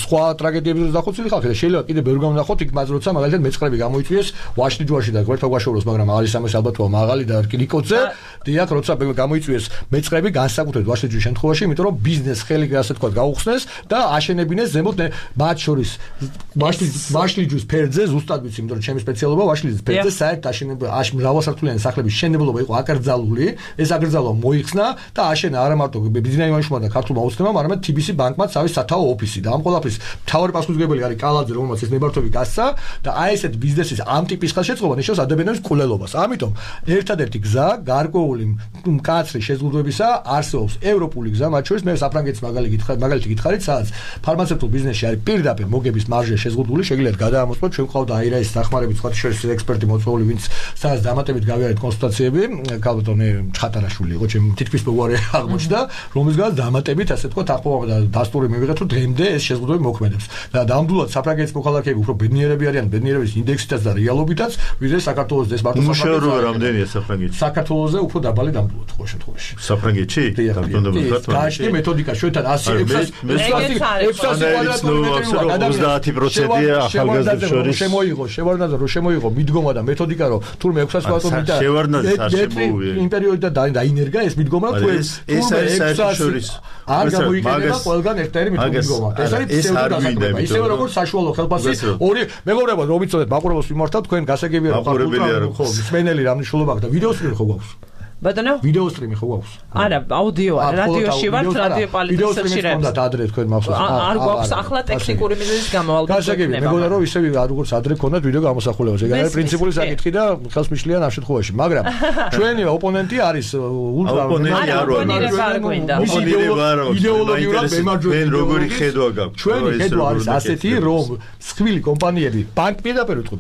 სხვა ტრაგედიებზე დახოცილი ხალხი და შეიძლება კიდე ბევრი გამონახოთ იქ მას როცა მაგალითად მეწყრები გამოიწვიეს ვაშლიჯვარში და გვერდ ვაშოროს, მაგრამ არის ამას ალბათო მაღალი და რკინიკოძე, დიახ, როცა გამოიწვიეს მეწყრები განსაკუთრებით ვაშლიჯვის შემთხვევაში, იმიტომ რომ ბიზნეს ხელი ასე თქვა გაუხსნეს და აშენებინეს ზემოთ მათ შორის ვაშლიჯვის ფერდზე, ზუსტად ვიცი, იმიტომ რომ ჩემი სპეციალობა ვაშლიჯვის ფერდზე საერთოდ აშენება მრავალსართულიანი სახლების შენებლობა იყო აკრძალული, ეს აკრძალვა მოიხსნა და აშენა არა მარტო ბიზნეს იმაშმა და ქართულმა უცნებამ, არამედ TBC ბანკმაც არის სათაო ოფისი და ამ ყველაფრის მთავარი პასუხისმგებელი არის კალაძე, რომელმაც ეს ნებართვები გასცა და აი ესეთ ბიზნესის ამ ტიპის ხელშეწყობა ნიშნავს ადამიანის კულელობას. ამიტომ ერთადერთი გზა გარკვეული მკაცრი შეზღუდვებისა არსებობს ევროპული გზა, მათ შორის მე საფრანგეთის მაგალითი გითხარით, სადაც ფარმაცევტულ ბიზნესში არის პირდაპირ მოგების მარჟა შეზღუდული, შეგიძლიათ გადაამოწმოთ, ჩვენ ყავდა აირაის დახმარებით, სხვა შორის ექსპერტი მოწვეული, ვინც სადაც დამატებით გავიარეთ კონსულტაციები, ქალბატონი ჩხატარაშვილი იყო, ჩემი თითქმის მეგობარი აღმოჩნდა, რომელსაც დამატებით ასე თქვა ახლა და დასტური მივიღეთ, რომ დღემდე ეს შეზღუდვები მოქმედებს. და ნამდვილად საფრანგეთის მოქალაქეები უფრო ბედნიერები არიან, ბედნიერების ინდექსითაც და რეალობითაც, ვიდრე საქართველოს ეს მარტო მუშაობა რამდენია საფრანგეთში? საქართველოზე უფრო დაბალი ნამდვილად ხო შემთხვევაში. საფრანგეთში? დააშკი მეთოდიკა ჩვენთან 30%-ია ახალგაზრდებს შორის. შევარდნაძე რო შემოიღო მიდგომა და მეთოდიკა რო თურმე 600 ბატონი და შევარდნაძე არ შემოუვია. იმ პერიოდიდან დაინერგა ეს მიდგომა თურმე ეს არის საერთაშორის არ გამოიყენება ყველგან ერთადერთი მიდგომა. ეს არის ფსევდოდასაკრება. ისევე როგორც საშუალო ხელფასი ორი მეგობრებო რომ იცოდეთ მაყურებელს ვიმართავ თქვენ გასაგებია რომ ხო მსმენელი რა მნიშვნელობა აქვს და ვიდეო სტრიმი ხო გვაქვს? ბატონო? ვიდეო სტრიმი ხო გვაქვს? არა, აუდიო არა, რადიოში ვართ, რადიო პოლიტიკაში რებს. ვიდეო სტრიმი ადრე თქვენ მახსოვს. არ გვაქვს ახლა ტექნიკური მიზეზის გამო ალბათ. გასაგებია, მეგონა რომ ისე როგორც ადრე ქონდათ ვიდეო გამოსახულება. ეგ არის პრინციპული საკითხი და ხელს მიშლიან ამ შემთხვევაში, მაგრამ ჩვენი ოპონენტი არის ულტრა ოპონენტი არ ვარ. იდეოლოგიურად მემარჯვენე. როგორი ხედვა გაქვს? ჩვენი ხედვა არის ასეთი, რომ სხვილი კომპანიები ბანკ პირდაპირ ვიტყვი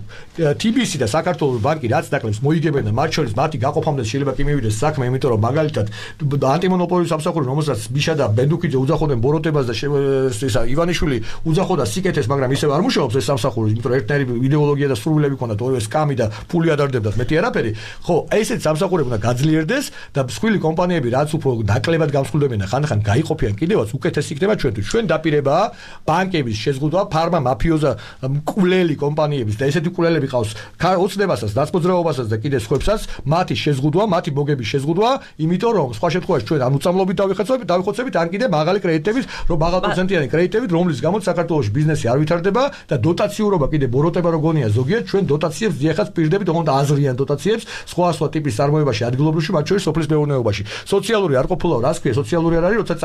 TBC და საქართველოს ბანკი რაც დაკლებს მოიგებენ და მათ შორის მათი გაყოფამდე შეიძლება კი მივიდეს საქმე, იმიტომ რომ მაგალითად ანტიმონოპოლიის სამსახური, რომელსაც ბიშა და ბენდუქიძე უძახოდნენ ბოროტებას და ისა ივანიშვილი უძახოდა სიკეთეს, მაგრამ ისევ არ მუშაობს ეს სამსახური, იმიტომ რომ ერთნაირი იდეოლოგია და სრულები ჰქონდათ, ორივე სკამი და ფული ადარდებდათ, მეტი არაფერი. ხო, ესეც სამსახურები უნდა გაძლიერდეს და სხვილი კომპანიები რაც უფრო ნაკლებად გამსხვილდებენ და ხანდახან გაიყოფიან კიდევაც უკეთესი იქნება ჩვენთვის. ჩვენ დაპირებაა ბანკების შეზღუდვა, ფარმა მაფიოზა მკვლელი კომპანიების და ესეთი მკვლელები ყავს ოცნებასაც, დაწმოძრაობასაც და კიდე სხვებსაც, მათი შეზღუდვა, მათი მოგების შეზღუდვა, იმიტომ რომ სხვა შემთხვევაში ჩვენ ან უწამლობით დავიხოცებით, ან კიდე მაღალი კრედიტებით, რომ მაღალპროცენტიანი კრედიტებით, რომლის გამოც საქართველოს ბიზნესი არ ვითარდება და დოტაციურობა კიდე ბოროტება როგონია ზოგიერთ ჩვენ დოტაციებს ძიახაც პირდებით, თუმცა აზრიან დოტაციებს სხვა ტიპის წარმოებაში, ადგილობრივში, მათ შორის სოფლის მეურნეობაში. სოციალური არ ყოფილა, რას ქვია, სოციალური არ არის, როცა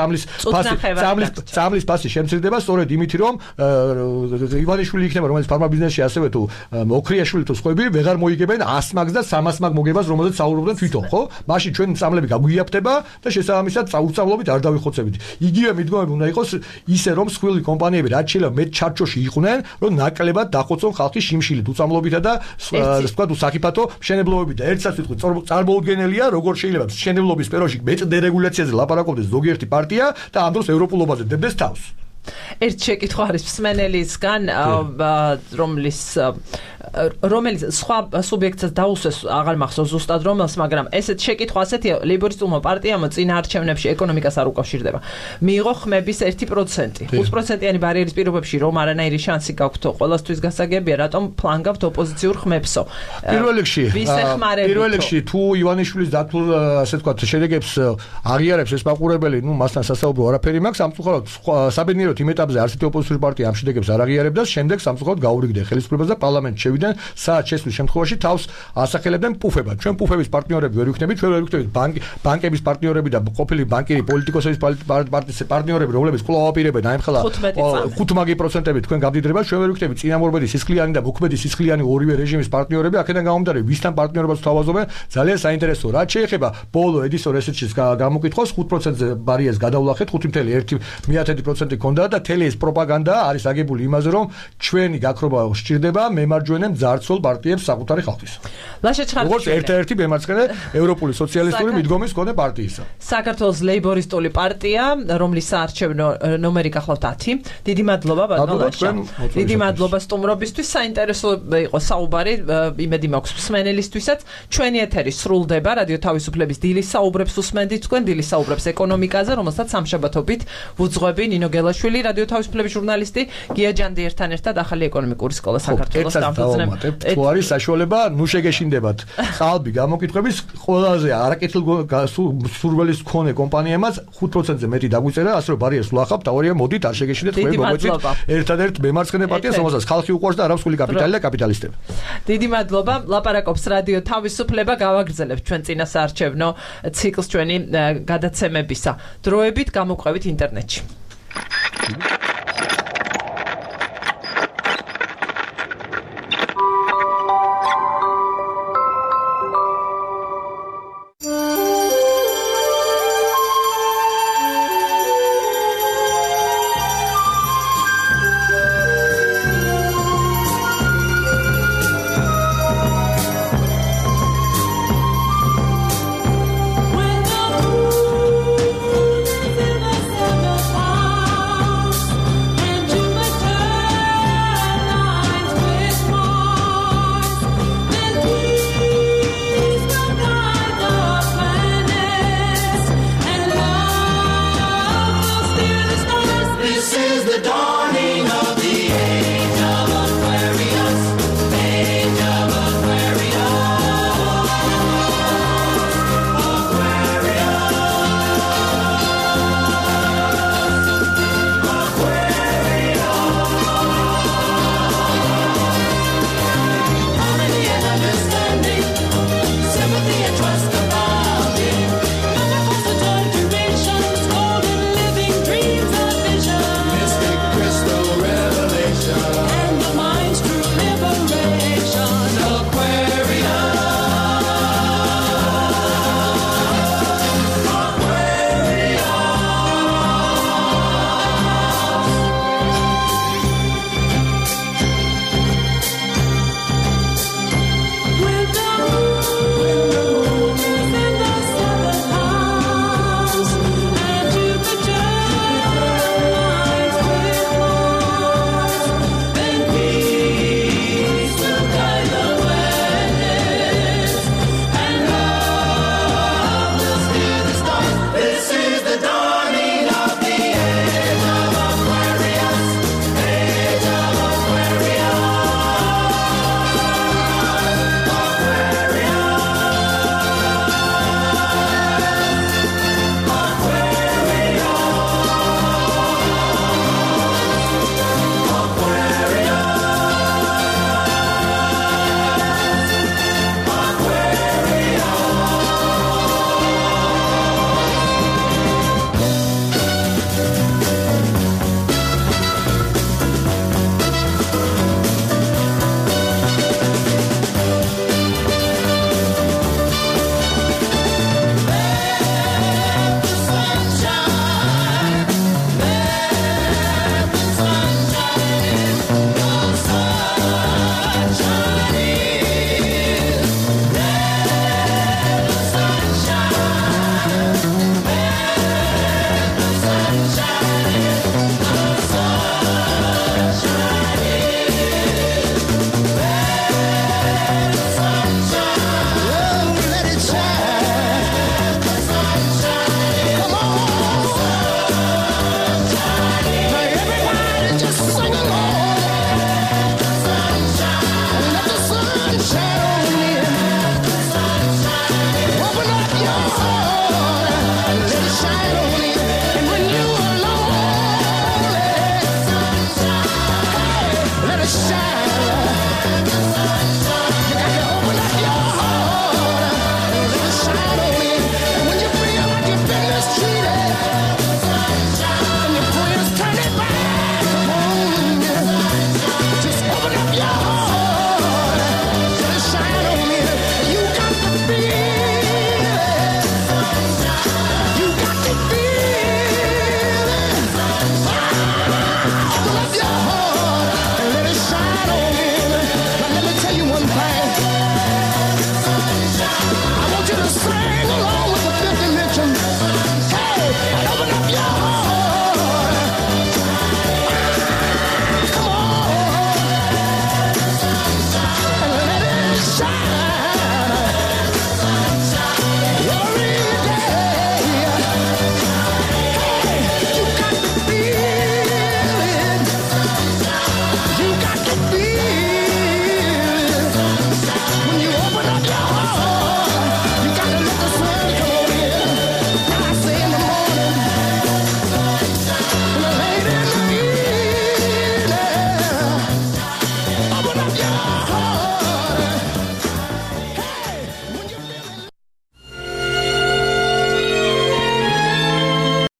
წამლის ფასი შემცირდება, სწორედ იმით, რომ ივანიშვილი იქნება, რომელიც ფარმა ბიზნესში ასევე თუ ოქრიაშვილი თუ სხვები ვეღარ მოიგებენ 100 მაგს და 300 მაგ მოგებას, რომელზეც საუბრობდნენ თვითონ, ხო? მაშინ ჩვენ წამლები გაგვიაფთება და შესაბამისად წაუწავლობით არ დავიხოცებით. იგივე მიდგომები უნდა იყოს ისე რომ სხვილი კომპანიები რაც შეიძლება მეტ ჩარჩოში იყვნენ, რომ ნაკლებად დახოცონ ხალხის შიმშილით უწამლობითა და სხვა თუ საფათო მშენებლობებით და ერთსაც ვიტყვი წარმოუდგენელია როგორ შეიძლება მშენებლობის სფეროში მეტ დერეგულაციაზე ლაპარაკობდეს ზოგიერთი პარტია და ამ დროს ევროპულობაზე დებდეს თავს. ერთ შეკითხვა არის მსმენელისგან, რომელიც სხვა სუბიექტსაც დაუსვეს, აღარ მახსოვს ზუსტად რომელს, მაგრამ ესეთ შეკითხვა ასეთია, ლეიბორისტულმა პარტიამ წინა არჩევნებში ეკონომიკას არ უკავშირდება. მიიღო ხმების 1%. 5%-იანი ბარიერის პირობებში რომ არანაირი შანსი გაქვთ ყველასთვის გასაგებია, რატომ ფლანგავთ ოპოზიციურ ხმებსო? პირველ რიგში თუ ივანიშვილის დათულ ასე ვთქვათ შედეგებს აღიარებს ეს მაყურებელი, მასთან სასაუბრო არაფერი მაქვს, სამწუხაროდ საბედნიეროდ იმ ეტაპზე არსებითი ოპოზიციური პარტია ამ შედეგებს არ აღიარებდა, შემდეგ სამწუხაროდ გაურიგდნენ ხელისუფლებას და პარლამენტში შევიდნენ, საათ შესვლის შემთხვევაში თავს ასახელებდნენ პუფებად. ჩვენ პუფების პარტნიორები ვერ ვიქნებით, ჩვენ ვერ ვიქნებით ბანკების პარტნიორები და ყოფილი ბანკირი პოლიტიკოსების პარტიის პარტნიორები, რომლებიც კვლავ აპირებენ აემხელა 5% თქვენ გამდიდრება, ჩვენ ვერ ვიქნებით წინამორბედი სისხლიანი და მოქმედი სისხლიანი ორივე რეჟიმის პარტნიორები, აქედან გამომდინარე, ვისთან პარტნიორობას თავაზობენ, ძალიან საინტერესო. რაც შეეხება ბოლო ედისონ ესეთშიც გამოკითხოს 5%-ზე ბარიერს გადავლახეთ, 5.1% ქონდა ჰქონდა და თელი ეს პროპაგანდა არის აგებული იმაზე, რომ ჩვენი გაქრობა სჭირდება მემარჯვენე მძარცველ პარტიებს საკუთარი ხალხის. როგორც ერთ-ერთი მემარცხენე ევროპული სოციალისტური მიდგომის მქონე პარტიისა. საქართველოს ლეიბორისტული პარტია, რომლის საარჩევნო ნომერი გახლავთ 10. დიდი მადლობა ბატონო ლაშა. დიდი მადლობა სტუმრობისთვის. საინტერესო იყო საუბარი, იმედი მაქვს მსმენელისთვისაც. ჩვენი ეთერი სრულდება რადიო თავისუფლების დილის საუბრებს უსმენდით თქვენ, დილის საუბრებს ეკონომიკაზე, რომელსაც სამშაბათობით ვუძღვები ნინო გელაშვილი, რადიო თავისუფლების ჟურნალისტი, გია ჯანდიერთან ერთად ახალი ეკონომიკური სკოლა საქართველოს დამფუძნებელი. თუ არის საშუალება, ნუ შეგეშინდებათ ყალბი გამოკითხვების ყველაზე არაკეთილსურველის მქონე კომპანიებმაც 5%-ზე მეტი დაგვიწერა, ასე რომ ბარიერს ვლახავთ, თაორია მოდით არ შეგეშინდეთ, თქვენ მოგვეცით ერთადერთ მემარცხენე პარტიას, რომელსაც ხალხი უყვარს და არამსხული კაპიტალი და კაპიტალისტები. დიდი მადლობა. ლაპარაკობს რადიო თავისუფლება, გავაგრძელებთ ჩვენ წინა საარჩევნო ციკლს ჩვენი გადაცემებისა. დროებით გამოყვებით ინტერნეტში. This is the dawn.